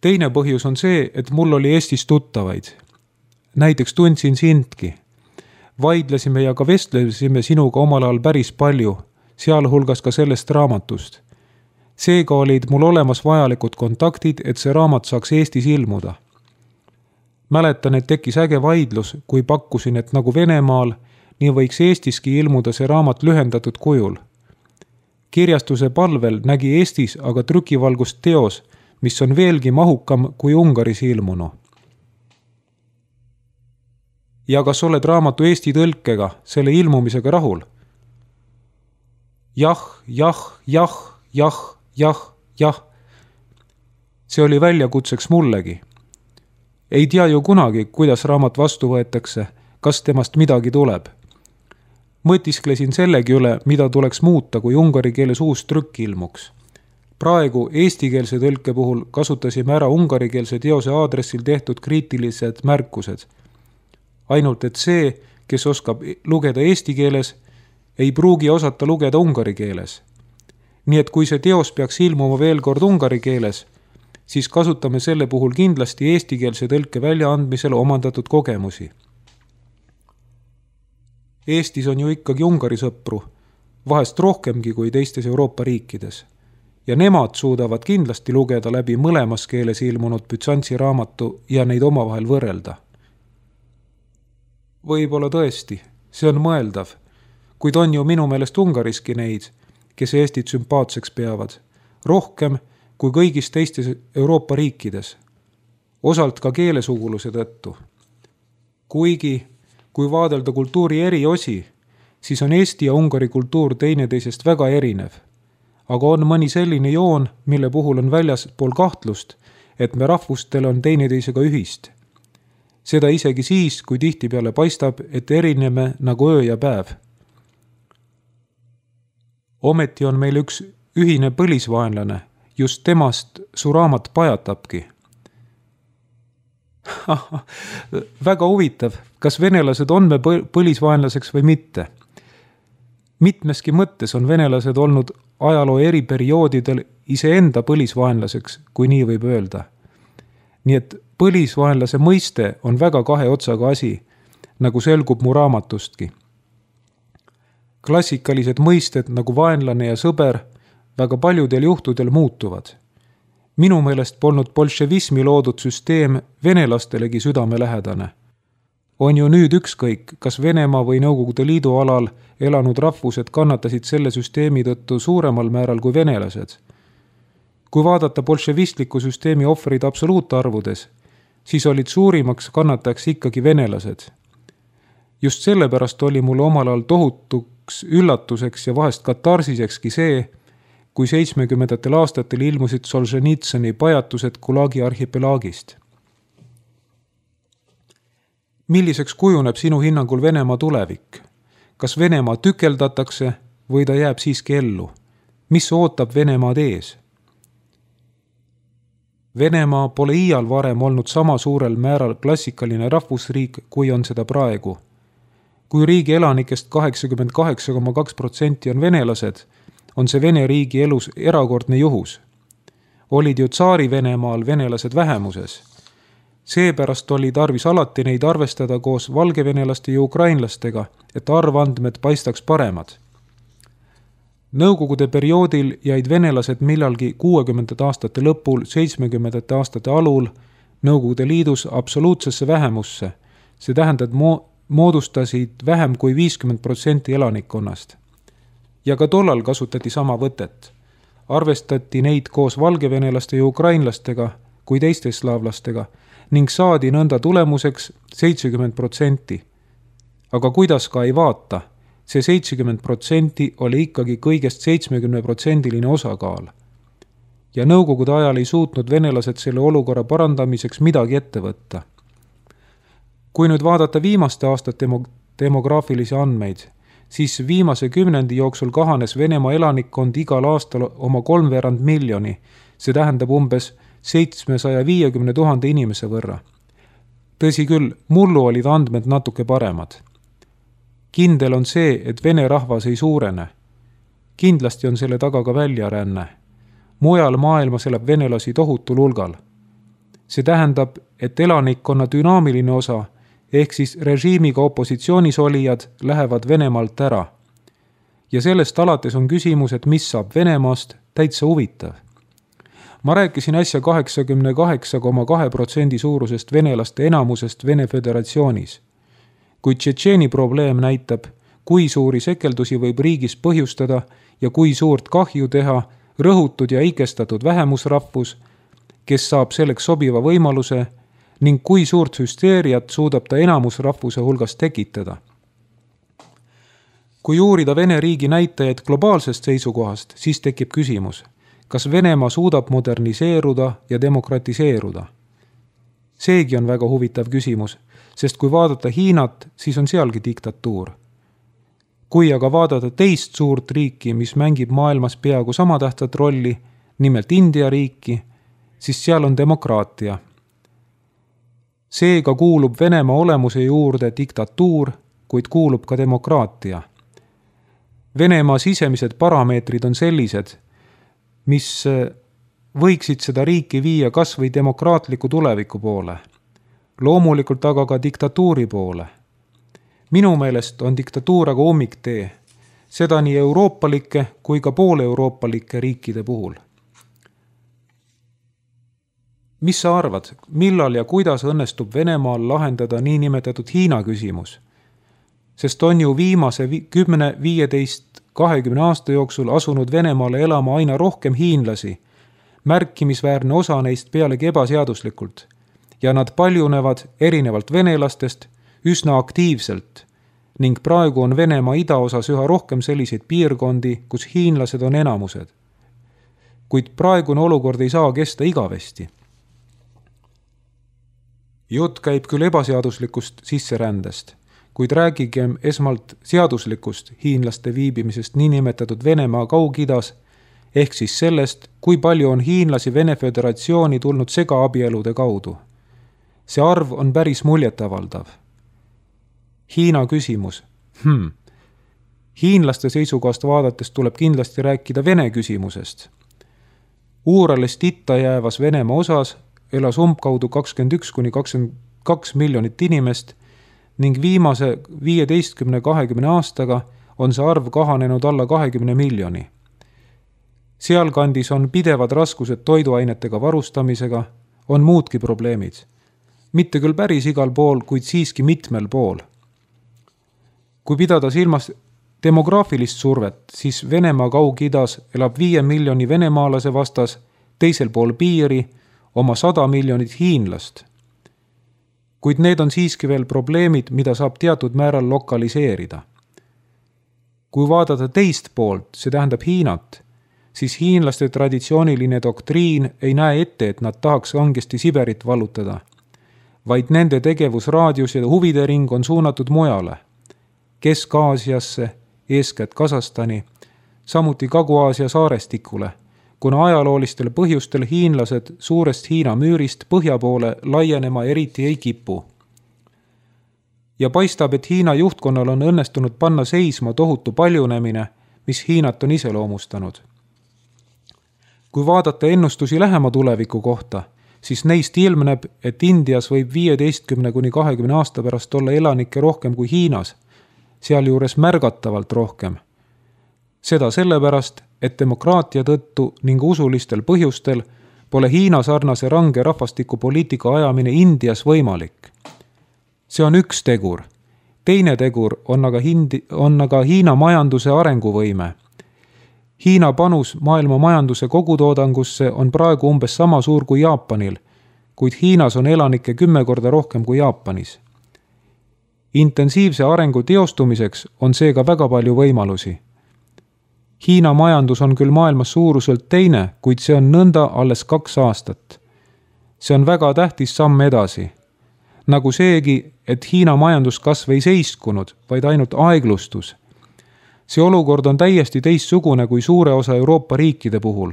Teine põhjus on see, et mul oli Eestis tuttavaid. Näiteks tundsin sindki. Vaidlesime ja ka vestlesime sinuga omal ajal päris palju, sealhulgas ka sellest raamatust. Seega olid mul olemas vajalikud kontaktid, et see raamat saaks Eestis ilmuda. Mäletan, et tekkis äge vaidlus, kui pakkusin, et nagu Venemaal, nii võiks Eestiski ilmuda see raamat lühendatud kujul. Kirjastuse palvel nägi Eestis aga trükivalgust teos, mis on veelgi mahukam kui Ungaris ilmunu. Ja kas oled raamatu Eesti tõlkega, selle ilmumisega rahul? Jah. See oli väljakutseks mullegi. Ei tea ju kunagi, kuidas raamat vastu võetakse, kas temast midagi tuleb. Mõtisklesin sellegi üle, mida tuleks muuta, kui ungari keeles uus trükk ilmuks. Praegu eestikeelse tõlke puhul kasutasime ära ungarikeelse teose aadressil tehtud kriitilised märkused. Ainult, et see, kes oskab lugeda eesti keeles, ei pruugi osata lugeda ungari keeles. Nii et kui see teos peaks ilmuma veel kord ungari keeles, siis kasutame selle puhul kindlasti eestikeelse tõlke väljaandmisel omandatud kogemusi. Eestis on ju ikkagi ungari sõpru, vahest rohkemgi kui teistes Euroopa riikides. Ja nemad suudavad kindlasti lugeda läbi mõlemas keeles ilmunud Byzantsi raamatu ja neid omavahel võrrelda. Võib-olla tõesti, see on mõeldav, kuid on ju minu meelest Ungariski neid, kes Eestit sümpaatseks peavad, rohkem kui kõigis teistes Euroopa riikides, osalt ka keelesuguluse tõttu. Kuigi, kui vaadelda kultuuri eri osi, siis on Eesti ja Ungari kultuur teineteisest väga erinev. Aga on mõni selline joon, mille puhul on väljaspool kahtlust, et me rahvustel on teineteisega ühist. Seda isegi siis, kui tihtipeale paistab, et erineme nagu öö ja päev. Ometi on meil üks ühine põlisvaenlane, just temast su raamat pajatabki. Väga huvitav, kas venelased on me põlisvaenlaseks või mitte. Mitmeski mõttes on venelased olnud ajaloo eri perioodidel iseenda põlisvaenlaseks, kui nii võib öelda. Nii et põlisvaenlase mõiste on väga kahe otsaga asi, nagu selgub mu raamatustki. Klassikalised mõisted nagu vaenlane ja sõber väga paljudel juhtudel muutuvad. Minu meelest polnud bolševismi loodud süsteem venelastelegi südamelähedane. On ju nüüd ükskõik, kas Venemaa või Nõukogude Liidu alal elanud rahvused kannatasid selle süsteemi tõttu suuremal määral kui venelased. Kui vaadata bolševistliku süsteemi ohvrid absoluutarvudes, siis olid suurimaks kannatajaks ikkagi venelased. Just sellepärast oli mulle omal ajal tohutuks üllatuseks ja vahest katarsisekski see, kui 70. aastatel ilmusid Solženitsõni pajatused Gulagi arhipelaagist. Milliseks kujuneb sinu hinnangul Venemaa tulevik? Kas Venemaa tükeldatakse või ta jääb siiski ellu? Mis ootab Venemaad ees? Venemaa pole iial varem olnud sama suurel määral klassikaline rahvusriik, kui on seda praegu. Kui riigi elanikest 88,2% on venelased, on see Vene riigi elus erakordne juhus. Olid ju tsaari Venemaal venelased vähemuses. Seepärast oli tarvis alati neid arvestada koos valgevenelaste ja ukrainlastega, et arvandmed paistaks paremad. Nõukogude perioodil jäid venelased millalgi 60. aastate lõpul, 70. aastate alul Nõukogude Liidus absoluutsesse vähemusse. See tähendab, moodustasid vähem kui 50% elanikkonnast. Ja ka tollal kasutati sama võtet. Arvestati neid koos valgevenelaste ja ukrainlastega kui teiste slaavlastega ning saadi nõnda tulemuseks 70%. Aga kuidas ka ei vaata, see 70% oli ikkagi kõigest 70% osakaal. Ja Nõukogude ajal ei suutnud venelased selle olukorra parandamiseks midagi ette võtta. Kui nüüd vaadata viimaste aastate demograafilisi andmeid, siis viimase 10 jooksul kahanes Venemaa elanikkond igal aastal oma 3/4 miljoni, see tähendab umbes 750 000 inimese võrra. Tõsi küll, mullu olid andmed natuke paremad. Kindel on see, et vene rahvas ei suurene. Kindlasti on selle taga ka väljaränne. Mujal maailmas elab venelasi tohutul hulgal. See tähendab, et elanikkonna dünaamiline osa ehk siis režiimiga opositsioonis olijad lähevad Venemaalt ära. Ja sellest alates on küsimus, et mis saab Venemaast, täitsa huvitav. Ma rääkisin äsja 88,2% suurusest venelaste enamusest Vene Föderatsioonis. Kuid Tšetšeeni probleem näitab, kui suuri sekeldusi võib riigis põhjustada ja kui suurt kahju teha rõhutud ja ikestatud vähemusrahvus, kes saab selleks sobiva võimaluse ning kui suurt hüsteeriat suudab ta enamusrahvuse hulgas tekitada. Kui uurida Vene riigi näitajaid globaalsest seisukohast, siis tekib küsimus, kas Venemaa suudab moderniseeruda ja demokratiseeruda. Seegi on väga huvitav küsimus, sest kui vaadata Hiinat, siis on sealgi diktatuur. Kui aga vaadata teist suurt riiki, mis mängib maailmas peaaegu sama tähtsat rolli, nimelt India riiki, siis seal on demokraatia. Seega kuulub Venemaa olemuse juurde diktatuur, kuid kuulub ka demokraatia. Venemaa sisemised parameetrid on sellised, mis võiksid seda riiki viia kas või demokraatliku tuleviku poole. Loomulikult aga ka diktatuuri poole. Minu meelest on diktatuur aga ummiktee, seda nii euroopalike kui ka pooleuroopalike riikide puhul. Mis sa arvad, millal ja kuidas õnnestub Venemaal lahendada niinimetatud Hiina küsimus? Sest on ju viimase 10, 15, 20 aasta jooksul asunud Venemaale elama aina rohkem hiinlasi, märkimisväärne osa neist pealegi ebaseaduslikult, ja nad paljunevad erinevalt venelastest üsna aktiivselt ning praegu on Venemaa idaosas üha rohkem selliseid piirkondi, kus hiinlased on enamused. Kuid praegune olukord ei saa kesta igavesti. Jutt käib küll ebaseaduslikust sisserändest, kuid räägigem esmalt seaduslikust hiinlaste viibimisest niinimetatud Venemaa Kaug-Idas, ehk siis sellest, kui palju on hiinlasi Vene Föderatsiooni tulnud segaabielude kaudu. See arv on päris muljetavaldav. Hiina küsimus. Hiinlaste seisukohast vaadates tuleb kindlasti rääkida Vene küsimusest. Uuralist itta jäävas Venemaa osas elas umbkaudu 21–22 miljonit inimest ning viimase 15–20 aastaga on see arv kahanenud alla 20 miljoni. Sealkandis on pidevad raskused toiduainetega varustamisega, on muudki probleemid. Mitte küll päris igal pool, kuid siiski mitmel pool. Kui pidada silmas demograafilist survet, siis Venemaa Kaug-Idas elab 5 miljoni venemaalase vastas, teisel pool piiri oma 100 miljonit hiinlast. Kuid need on siiski veel probleemid, mida saab teatud määral lokaliseerida. Kui vaadata teist poolt, see tähendab Hiinat, siis hiinlaste traditsiooniline doktriin ei näe ette, et nad tahaks kangesti Siberit vallutada, vaid nende tegevusraadius ja huvide ring on suunatud mujale, Kesk-Aasiasse, eeskätt Kasahstani, samuti Kagu-Aasia saarestikule, kuna ajaloolistel põhjustel hiinlased suurest Hiina müürist põhja poole laienema eriti ei kipu. Ja paistab, et Hiina juhtkonnal on õnnestunud panna seisma tohutu paljunemine, mis Hiinat on iseloomustanud. Kui vaadata ennustusi lähema tuleviku kohta, siis neist ilmneb, et Indias võib 15–20 aasta pärast olla elanikke rohkem kui Hiinas, sealjuures märgatavalt rohkem. Seda sellepärast, et demokraatia tõttu ning usulistel põhjustel pole Hiina sarnase range rahvastikupoliitika ajamine Indias võimalik. See on üks tegur. Teine tegur on aga Hiina majanduse arenguvõime. Hiina panus maailma majanduse kogutoodangusse on praegu umbes sama suur kui Jaapanil, kuid Hiinas on elanikke 10 korda rohkem kui Jaapanis. Intensiivse arengu teostumiseks on seega väga palju võimalusi. Hiina majandus on küll maailmas suuruselt teine, kuid see on nõnda alles 2 aastat. See on väga tähtis samm edasi. Nagu seegi, et Hiina majanduskasv ei seiskunud, vaid ainult aeglustus. See olukord on täiesti teistsugune kui suure osa Euroopa riikide puhul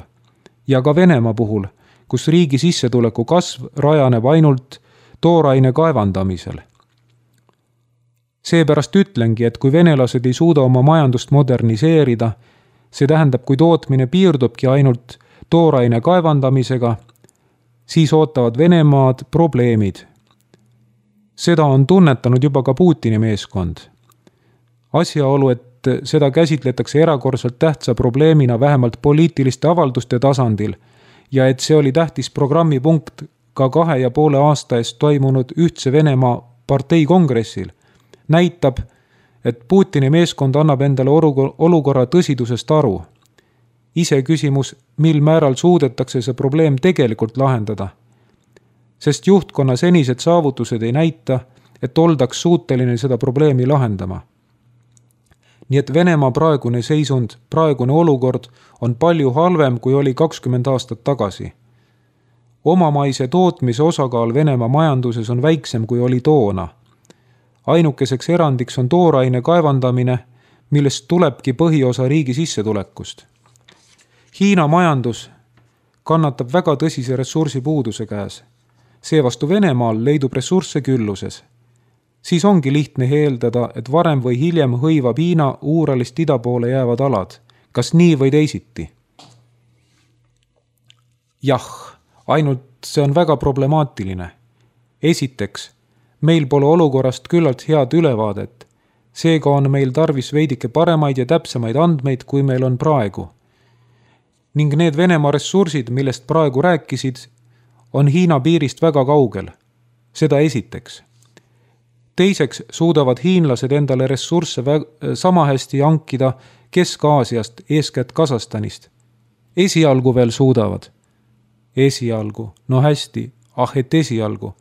ja ka Venemaa puhul, kus riigi sissetuleku kasv rajaneb ainult tooraine kaevandamisel. Seepärast ütlengi, et kui venelased ei suuda oma majandust moderniseerida, see tähendab, kui tootmine piirdubki ainult tooraine kaevandamisega, siis ootavad Venemaad probleemid. Seda on tunnetanud juba ka Putini meeskond. Asjaolu, et seda käsitletakse erakordselt tähtsa probleemina vähemalt poliitiliste avalduste tasandil ja et see oli tähtis programmipunkt ka 2,5 aasta eest toimunud Ühtse Venemaa partei kongressil, näitab, et Putini meeskond annab endale olukorra tõsidusest aru. Ise küsimus, mil määral suudetakse see probleem tegelikult lahendada. Sest juhtkonna senised saavutused ei näita, et oldaks suuteline seda probleemi lahendama. Nii et Venemaa praegune seisund, praegune olukord on palju halvem, kui oli 20 aastat tagasi. Omamaise tootmise osakaal Venemaa majanduses on väiksem, kui oli toona. Ainukeseks erandiks on tooraine kaevandamine, millest tulebki põhiosa riigi sissetulekust. Hiina majandus kannatab väga tõsise ressursipuuduse käes. Seevastu Venemaal leidub ressursse külluses. Siis ongi lihtne eeldada, et varem või hiljem hõivab Hiina Uuralist ida poole jäävad alad. Kas nii või teisiti? Jah, ainult see on väga problemaatiline. Esiteks, meil pole olukorrast küllalt head ülevaadet. Seega on meil tarvis veidike paremaid ja täpsemaid andmeid, kui meil on praegu. Ning need Venemaa ressursid, millest praegu rääkisid, on Hiina piirist väga kaugel. Seda esiteks. Teiseks suudavad hiinlased endale ressursse sama hästi hankida Kesk-Aasiast, eeskätt Kasahstanist. Esialgu veel suudavad. Esialgu, no hästi, et esialgu.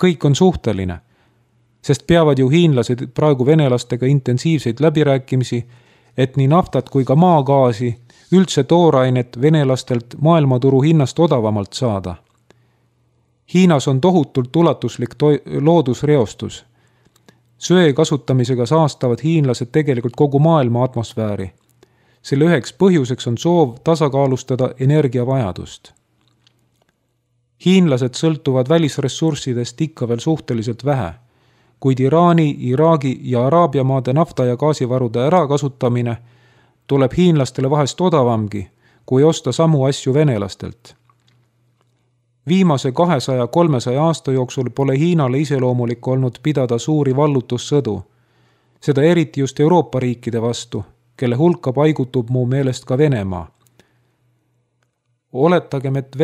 Kõik on suhteline. sest peavad ju hiinlased praegu venelastega intensiivseid läbirääkimisi, et nii naftat kui ka maagaasi, üldse toorainet venelastelt maailmaturu hinnast odavamalt saada. Hiinas on tohutult ulatuslik loodusreostus. Söe kasutamisega saastavad hiinlased tegelikult kogu maailma atmosfääri. Selle üheks põhjuseks on soov tasakaalustada energiavajadust. Hiinlased sõltuvad välisressurssidest ikka veel suhteliselt vähe, kuid Iraani, Iraagi ja Araabia maade nafta- ja gaasivarude ärakasutamine tuleb hiinlastele vahest odavamgi, kui osta samu asju venelastelt. Viimase 200-300 aasta jooksul pole Hiinale iseloomulik olnud pidada suuri vallutussõdu, seda eriti just Euroopa riikide vastu, kelle hulka paigutub mu meelest ka Venemaa. Oletagem, et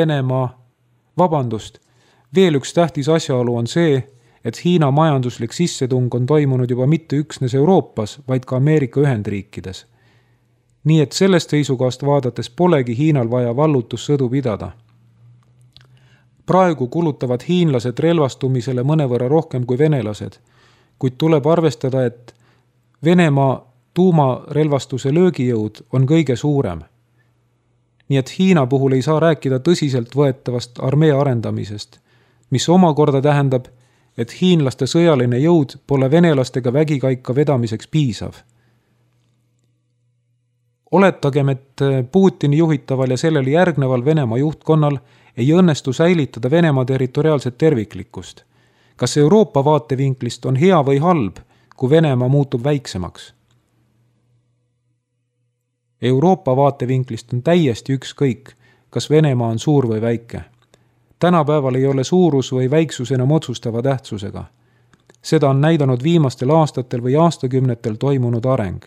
veel üks tähtis asjaolu on see, et Hiina majanduslik sissetung on toimunud juba mitte üksnes Euroopas, vaid ka Ameerika Ühendriikides. Nii et sellest seisukohast vaadates polegi Hiinal vaja vallutussõdu pidada. Praegu kulutavad hiinlased relvastumisele mõnevõrra rohkem kui venelased, kuid tuleb arvestada, et Venemaa tuumarelvastuse löögijõud on kõige suurem. Nii et Hiina puhul ei saa rääkida tõsiselt võetavast armee arendamisest, mis omakorda tähendab, et hiinlaste sõjaline jõud pole venelastega vägikaika vedamiseks piisav. Oletagem, et Putini juhitaval ja sellele järgneval Venemaa juhtkonnal ei õnnestu säilitada Venemaa territoriaalset terviklikkust. Kas Euroopa vaatevinklist on hea või halb, kui Venemaa muutub väiksemaks? Euroopa vaatevinklist on täiesti ükskõik, kas Venemaa on suur või väike. Tänapäeval ei ole suurus või väiksus enam otsustava tähtsusega. Seda on näidanud viimastel aastatel või aastakümnetel toimunud areng.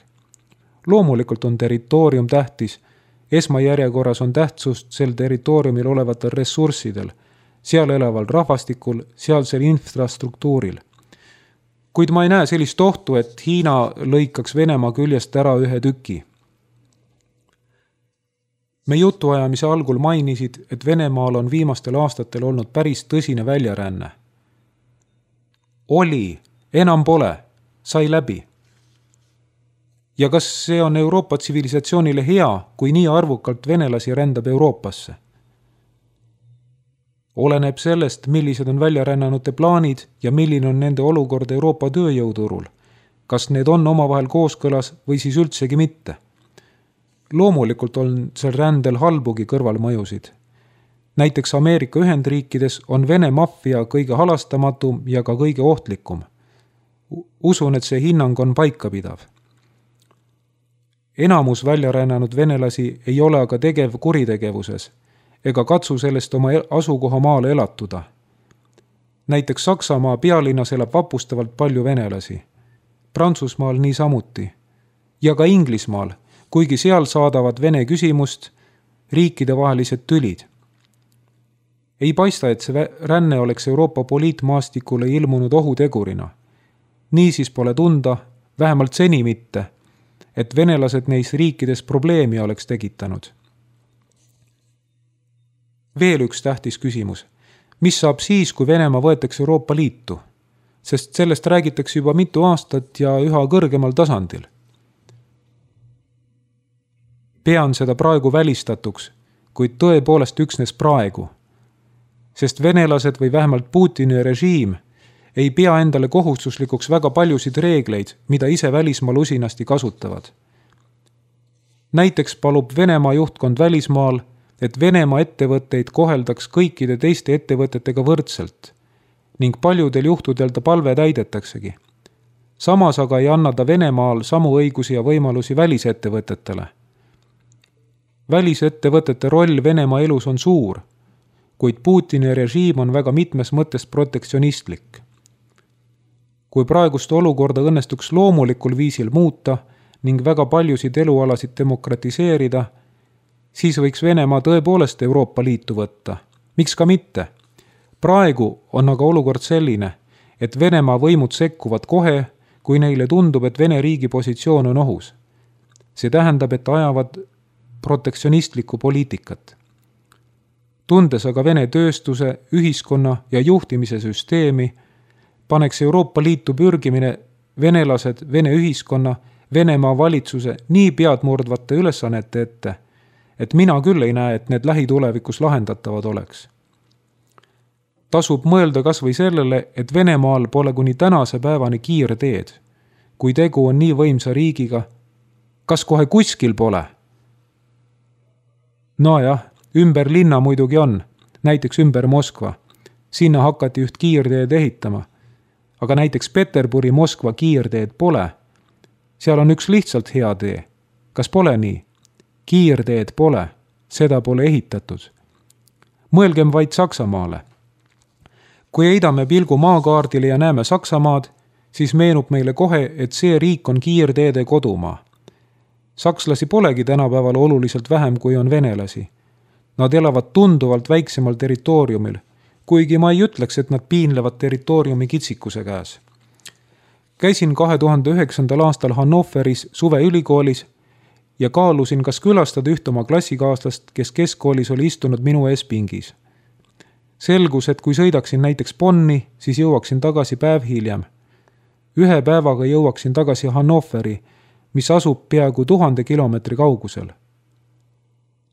Loomulikult on territoorium tähtis. Esmajärjekorras on tähtsust sel territooriumil olevatel ressurssidel, seal elaval rahvastikul, sealsel infrastruktuuril. Kuid ma ei näe sellist ohtu, et Hiina lõikaks Venemaa küljest ära ühe tüki. Me jutuajamise algul mainisid, et Venemaal on viimastel aastatel olnud päris tõsine väljaränne. Oli, enam pole, sai läbi. Ja kas see on Euroopa tsivilisatsioonile hea, kui nii arvukalt venelasi rändab Euroopasse? Oleneb sellest, millised on väljarännanute plaanid ja milline on nende olukord Euroopa tööjõuturul. Kas need on omavahel kooskõlas või siis üldsegi mitte? Loomulikult on sel rändel halbugi kõrvalmõjusid. Näiteks Ameerika Ühendriikides on Vene maffia kõige halastamatum ja ka kõige ohtlikum. Usun, et see hinnang on paikapidav. Enamus väljarännanud venelasi ei ole aga tegev kuritegevuses ega katsu sellest oma asukohamaale elatuda. Näiteks Saksamaa pealinnas elab vapustavalt palju venelasi. Prantsusmaal niisamuti. Ja ka Inglismaal, kuigi seal saadavad vene küsimust, riikidevahelised tülid. Ei paista, et see ränne oleks Euroopa poliitmaastikule ilmunud ohutegurina. Niisiis pole tunda, vähemalt seni mitte, et venelased neis riikides probleemi oleks tekitanud. Veel üks tähtis küsimus. Mis saab siis, kui Venemaa võetakse Euroopa Liitu? Sest sellest räägitakse juba mitu aastat ja üha kõrgemal tasandil. Pean seda praegu välistatuks, kuid tõepoolest üksnes praegu. Sest venelased või vähemalt Putini režiim ei pea endale kohustuslikuks väga paljusid reegleid, mida ise välismaal usinasti kasutavad. Näiteks palub Venemaa juhtkond välismaal, et Venemaa ettevõtteid koheldaks kõikide teiste ettevõtetega võrdselt ning paljudel juhtudel ta palve täidetaksegi. Samas aga ei anna ta Venemaal samu õigusi ja võimalusi välisettevõtetele. Välisettevõtete roll Venemaa elus on suur, kuid Putini režiim on väga mitmes mõttes protektsionistlik. Kui praegust olukorda õnnestuks loomulikul viisil muuta ning väga paljusid elualasid demokratiseerida, siis võiks Venemaa tõepoolest Euroopa Liitu võtta. Miks ka mitte? Praegu on aga olukord selline, et Venemaa võimud sekkuvad kohe, kui neile tundub, et Vene riigi positsioon on ohus. See tähendab, et ajavad protektsionistlikku poliitikat. Tundes aga Vene tööstuse, ühiskonna ja juhtimise süsteemi, paneks Euroopa Liitu pürgimine venelased, Vene ühiskonna, Venemaa valitsuse nii peadmurdvate ülesannete ette, et mina küll ei näe, et need lähitulevikus lahendatavad oleks. Tasub mõelda kas või sellele, et Venemaal pole kuni tänase päevani kiirteed. Kui tegu on nii võimsa riigiga, kas kohe kuskil pole? Nojah, ümber linna muidugi on, näiteks ümber Moskva. Sinna hakati üht kiirteed ehitama. Aga näiteks Peterburi Moskva kiirteed pole. Seal on üks lihtsalt hea tee. Kas pole nii? Kiirteed pole, seda pole ehitatud. Mõelgem vaid Saksamaale. Kui heidame pilgu maakaardile ja näeme Saksamaad, siis meenub meile kohe, et see riik on kiirteede kodumaa. Sakslasi polegi tänapäeval oluliselt vähem, kui on venelasi. Nad elavad tunduvalt väiksemal territooriumil, kuigi ma ei ütleks, et nad piinlevad territooriumi kitsikuse käes. Käisin 2009. aastal Hannoveris suveülikoolis ja kaalusin, kas külastada üht oma klassikaaslast, kes keskkoolis oli istunud minu ees pingis. Selgus, et kui sõidaksin näiteks Bonni, siis jõuaksin tagasi päev hiljem. 1 päevaga jõuaksin tagasi Hannoveri, mis asub peaaegu 1000 kilomeetri kaugusel.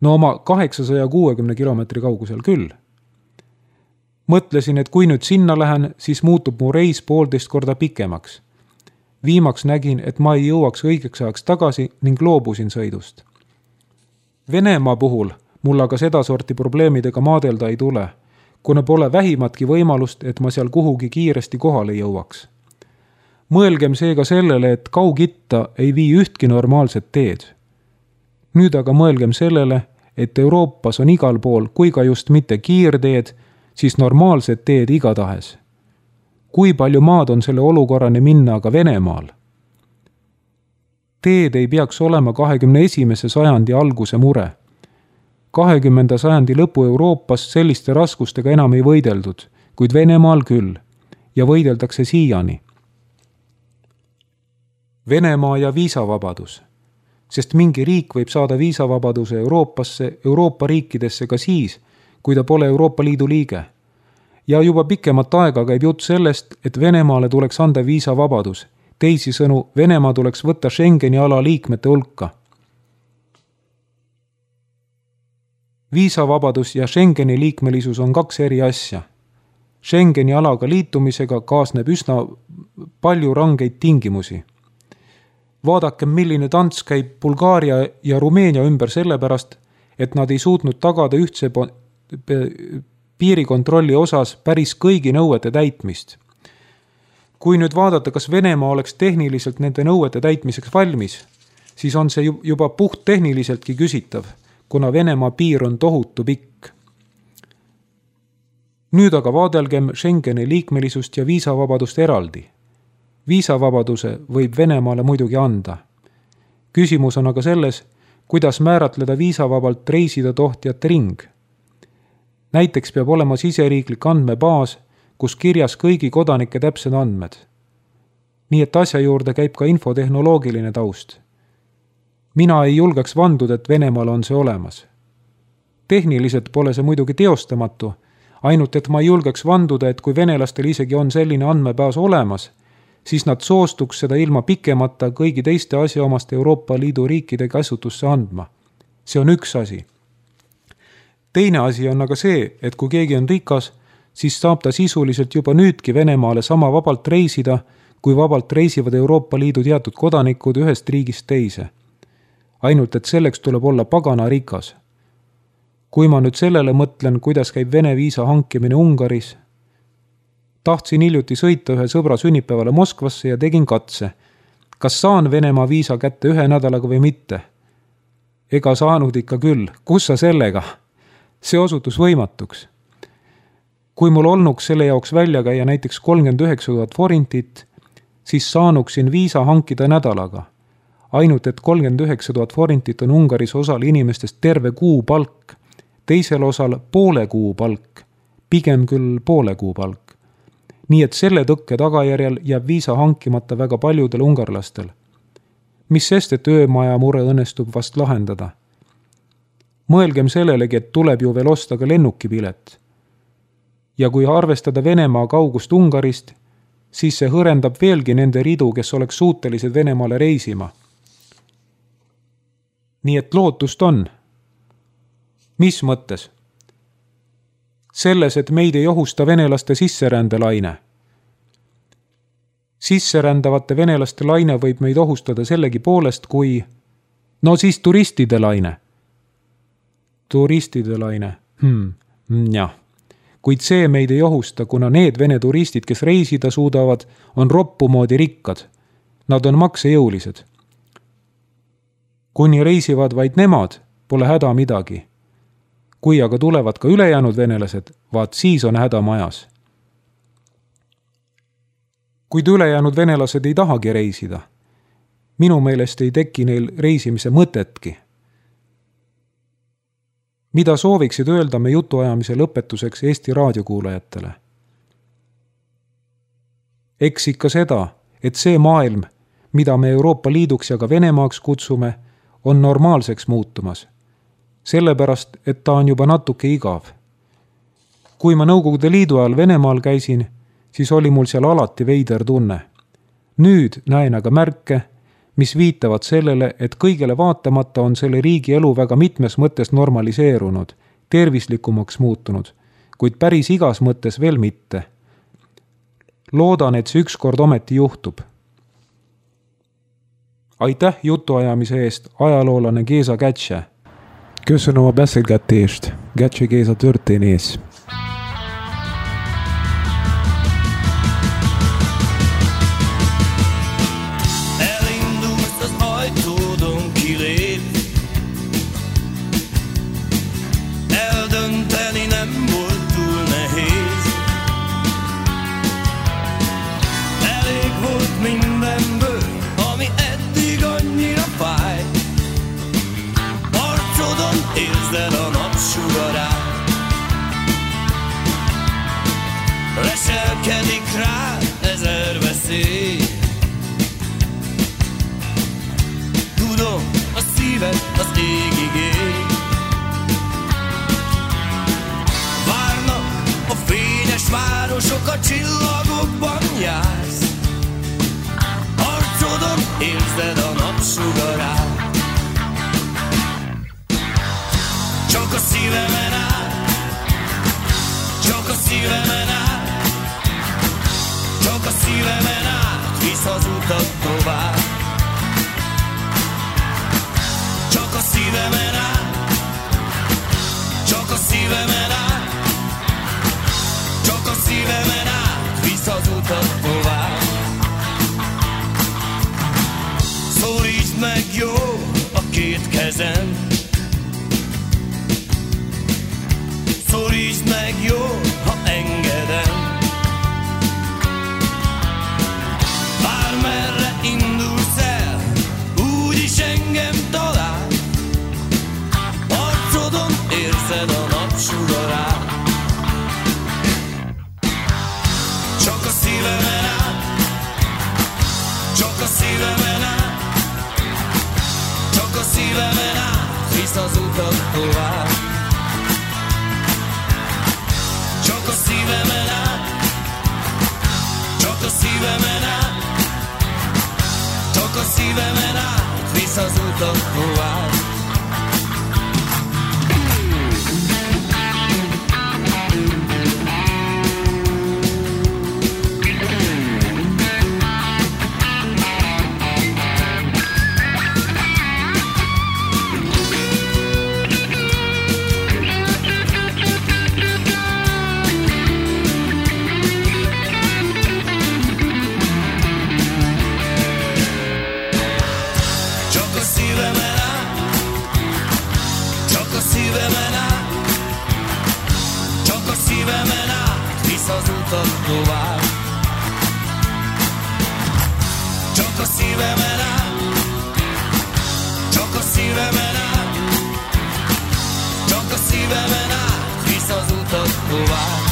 No oma 860 kilomeetri kaugusel küll. Mõtlesin, et kui nüüd sinna lähen, siis muutub mu reis 1,5 korda pikemaks. Viimaks nägin, et ma ei jõuaks õigeks ajaks tagasi ning loobusin sõidust. Venemaa puhul mul aga sedasorti probleemidega maadelda ei tule, kuna pole vähimatki võimalust, et ma seal kuhugi kiiresti kohale jõuaks. Mõelgem seega sellele, et Kaug-Itta ei vii ühtki normaalset teed. Nüüd aga mõelgem sellele, et Euroopas on igal pool, kui ka just mitte kiirteed, siis normaalsed teed igatahes. Kui palju maad on selle olukorrani minna aga Venemaal? Teed ei peaks olema 21. sajandi alguse mure. 20. sajandi lõpu Euroopas selliste raskustega enam ei võideldud, kuid Venemaal küll, ja võideldakse siiani. Venemaa ja viisavabadus. Sest mingi riik võib saada viisavabaduse Euroopasse, Euroopa riikidesse ka siis, kui ta pole Euroopa Liidu liige. Ja juba pikemat aega käib jutt sellest, et Venemaale tuleks anda viisavabadus. Teisisõnu, Venemaa tuleks võtta Schengeni ala liikmete hulka. Viisavabadus ja Schengeni liikmelisus on 2 eri asja. Schengeni alaga liitumisega kaasneb üsna palju rangeid tingimusi. Vaadakem, milline tants käib Bulgaaria ja Rumeenia ümber sellepärast, et nad ei suutnud tagada ühtse piirikontrolli osas päris kõigi nõuete täitmist. Kui nüüd vaadata, kas Venemaa oleks tehniliselt nende nõuete täitmiseks valmis, siis on see juba puht tehniliseltki küsitav, kuna Venemaa piir on tohutu pikk. Nüüd aga vaadelgem Schengeni liikmelisust ja viisavabadust eraldi. Viisavabaduse võib Venemaale muidugi anda. Küsimus on aga selles, kuidas määratleda viisavabalt reisida tohtjate ring. Näiteks peab olema siseriiklik andmebaas, kus kirjas kõigi kodanike täpsed andmed. Nii et asja juurde käib ka infotehnoloogiline taust. Mina ei julgeks vanduda, et Venemaal on see olemas. Tehniliselt pole see muidugi teostamatu, ainult et ma ei julgeks vanduda, et kui venelastel isegi on selline andmebaas olemas, siis nad soostuks seda ilma pikemata kõigi teiste asjaomaste Euroopa Liidu riikide käsutusse andma. See on üks asi. Teine asi on aga see, et kui keegi on rikas, siis saab ta sisuliselt juba nüüdki Venemaale sama vabalt reisida, kui vabalt reisivad Euroopa Liidu teatud kodanikud ühest riigist teise. Ainult, et selleks tuleb olla pagana rikas. Kui ma nüüd sellele mõtlen, kuidas käib Vene viisa hankimine Ungaris, tahtsin hiljuti sõita ühe sõbra sünnipäevale Moskvasse ja tegin katse. Kas saan Venemaa viisa kätte 1 nädalaga või mitte? Ega saanud ikka küll. Kus sa sellega? See osutus võimatuks. Kui mul olnuks selle jaoks välja käia näiteks 39 000 forintit, siis saanuksin viisa hankida nädalaga. Ainult, et 39 000 forintit on Ungaris osal inimestest terve kuu palk, teisel osal poole kuu palk, pigem küll poole kuu palk. Nii et selle tõkke tagajärjel jääb viisa hankimata väga paljudel ungarlastel. Mis sest, et öömaja mure õnnestub vast lahendada. Mõelgem sellelegi, et tuleb ju veel osta ka lennukipilet. Ja kui arvestada Venemaa kaugust Ungarist, siis see hõrendab veelgi nende ridu, kes oleks suutelised Venemaale reisima. Nii et lootust on. Mis mõttes? Selles, et meid ei ohusta venelaste sisserändelaine. Sisserändavate venelaste laine võib meid ohustada sellegi poolest, kui... No siis turistide laine. Turistide laine. Jah. Kuid see meid ei ohusta, kuna need vene turistid, kes reisida suudavad, on roppumoodi rikkad. Nad on maksejõulised. Kuni reisivad vaid nemad, pole häda midagi. Kui aga tulevad ka ülejäänud venelased, vaat siis on häda majas. Kuid ülejäänud venelased ei tahagi reisida. Minu meelest ei teki neil reisimise mõtetki. Mida sooviksid öelda me jutuajamise lõpetuseks Eesti raadiokuulajatele? Eks ikka seda, et see maailm, mida me Euroopa Liiduks ja ka Venemaaks kutsume, on normaalseks muutumas. Sellepärast, et ta on juba natuke igav. Kui ma Nõukogude Liidu ajal Venemaal käisin, siis oli mul seal alati veider tunne. Nüüd näen aga märke, mis viitavad sellele, et kõigele vaatamata on selle riigi elu väga mitmes mõttes normaliseerunud, tervislikumaks muutunud, kuid päris igas mõttes veel mitte. Loodan, et see ükskord ometi juhtub. Aitäh jutuajamise eest, ajaloolane Géza Kätse. Köszönöm a beszélgetést, Kätse Géza történész. Leselkedik rá ezer veszély. Tudom, a szíved az égig ég. Várnak a fényes városok, a csillagokban jársz. Arcodon érzed a napsugarát. Csak a szívemen áll, csak a szívemen áll. Csak a szívemen át visz az utat tovább. Csak a szívemen át, csak a szívemen át. Csak a szívemen át visz az utat tovább. Szólítsd meg jó a két kezem. Szólítsd meg jó, ha engedem. Bármerre indulsz el, úgyis engem talál. Arcodon érzed a napsugarát. Csak a szívemen át, csak a szívemen át. Csak a szívemen át visz az utat tovább. Csak a szívemen át, csak a szívemen át. Csak a szívemen át visz az utat tovább. Csak a szívemen át, csak a szívemen át. Csak a szívemen át visz az utat tovább.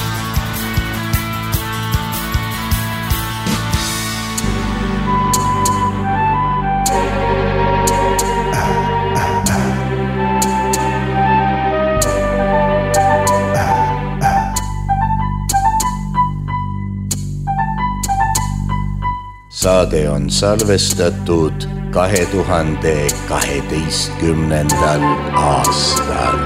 saade on salvestatud 2012. aastal.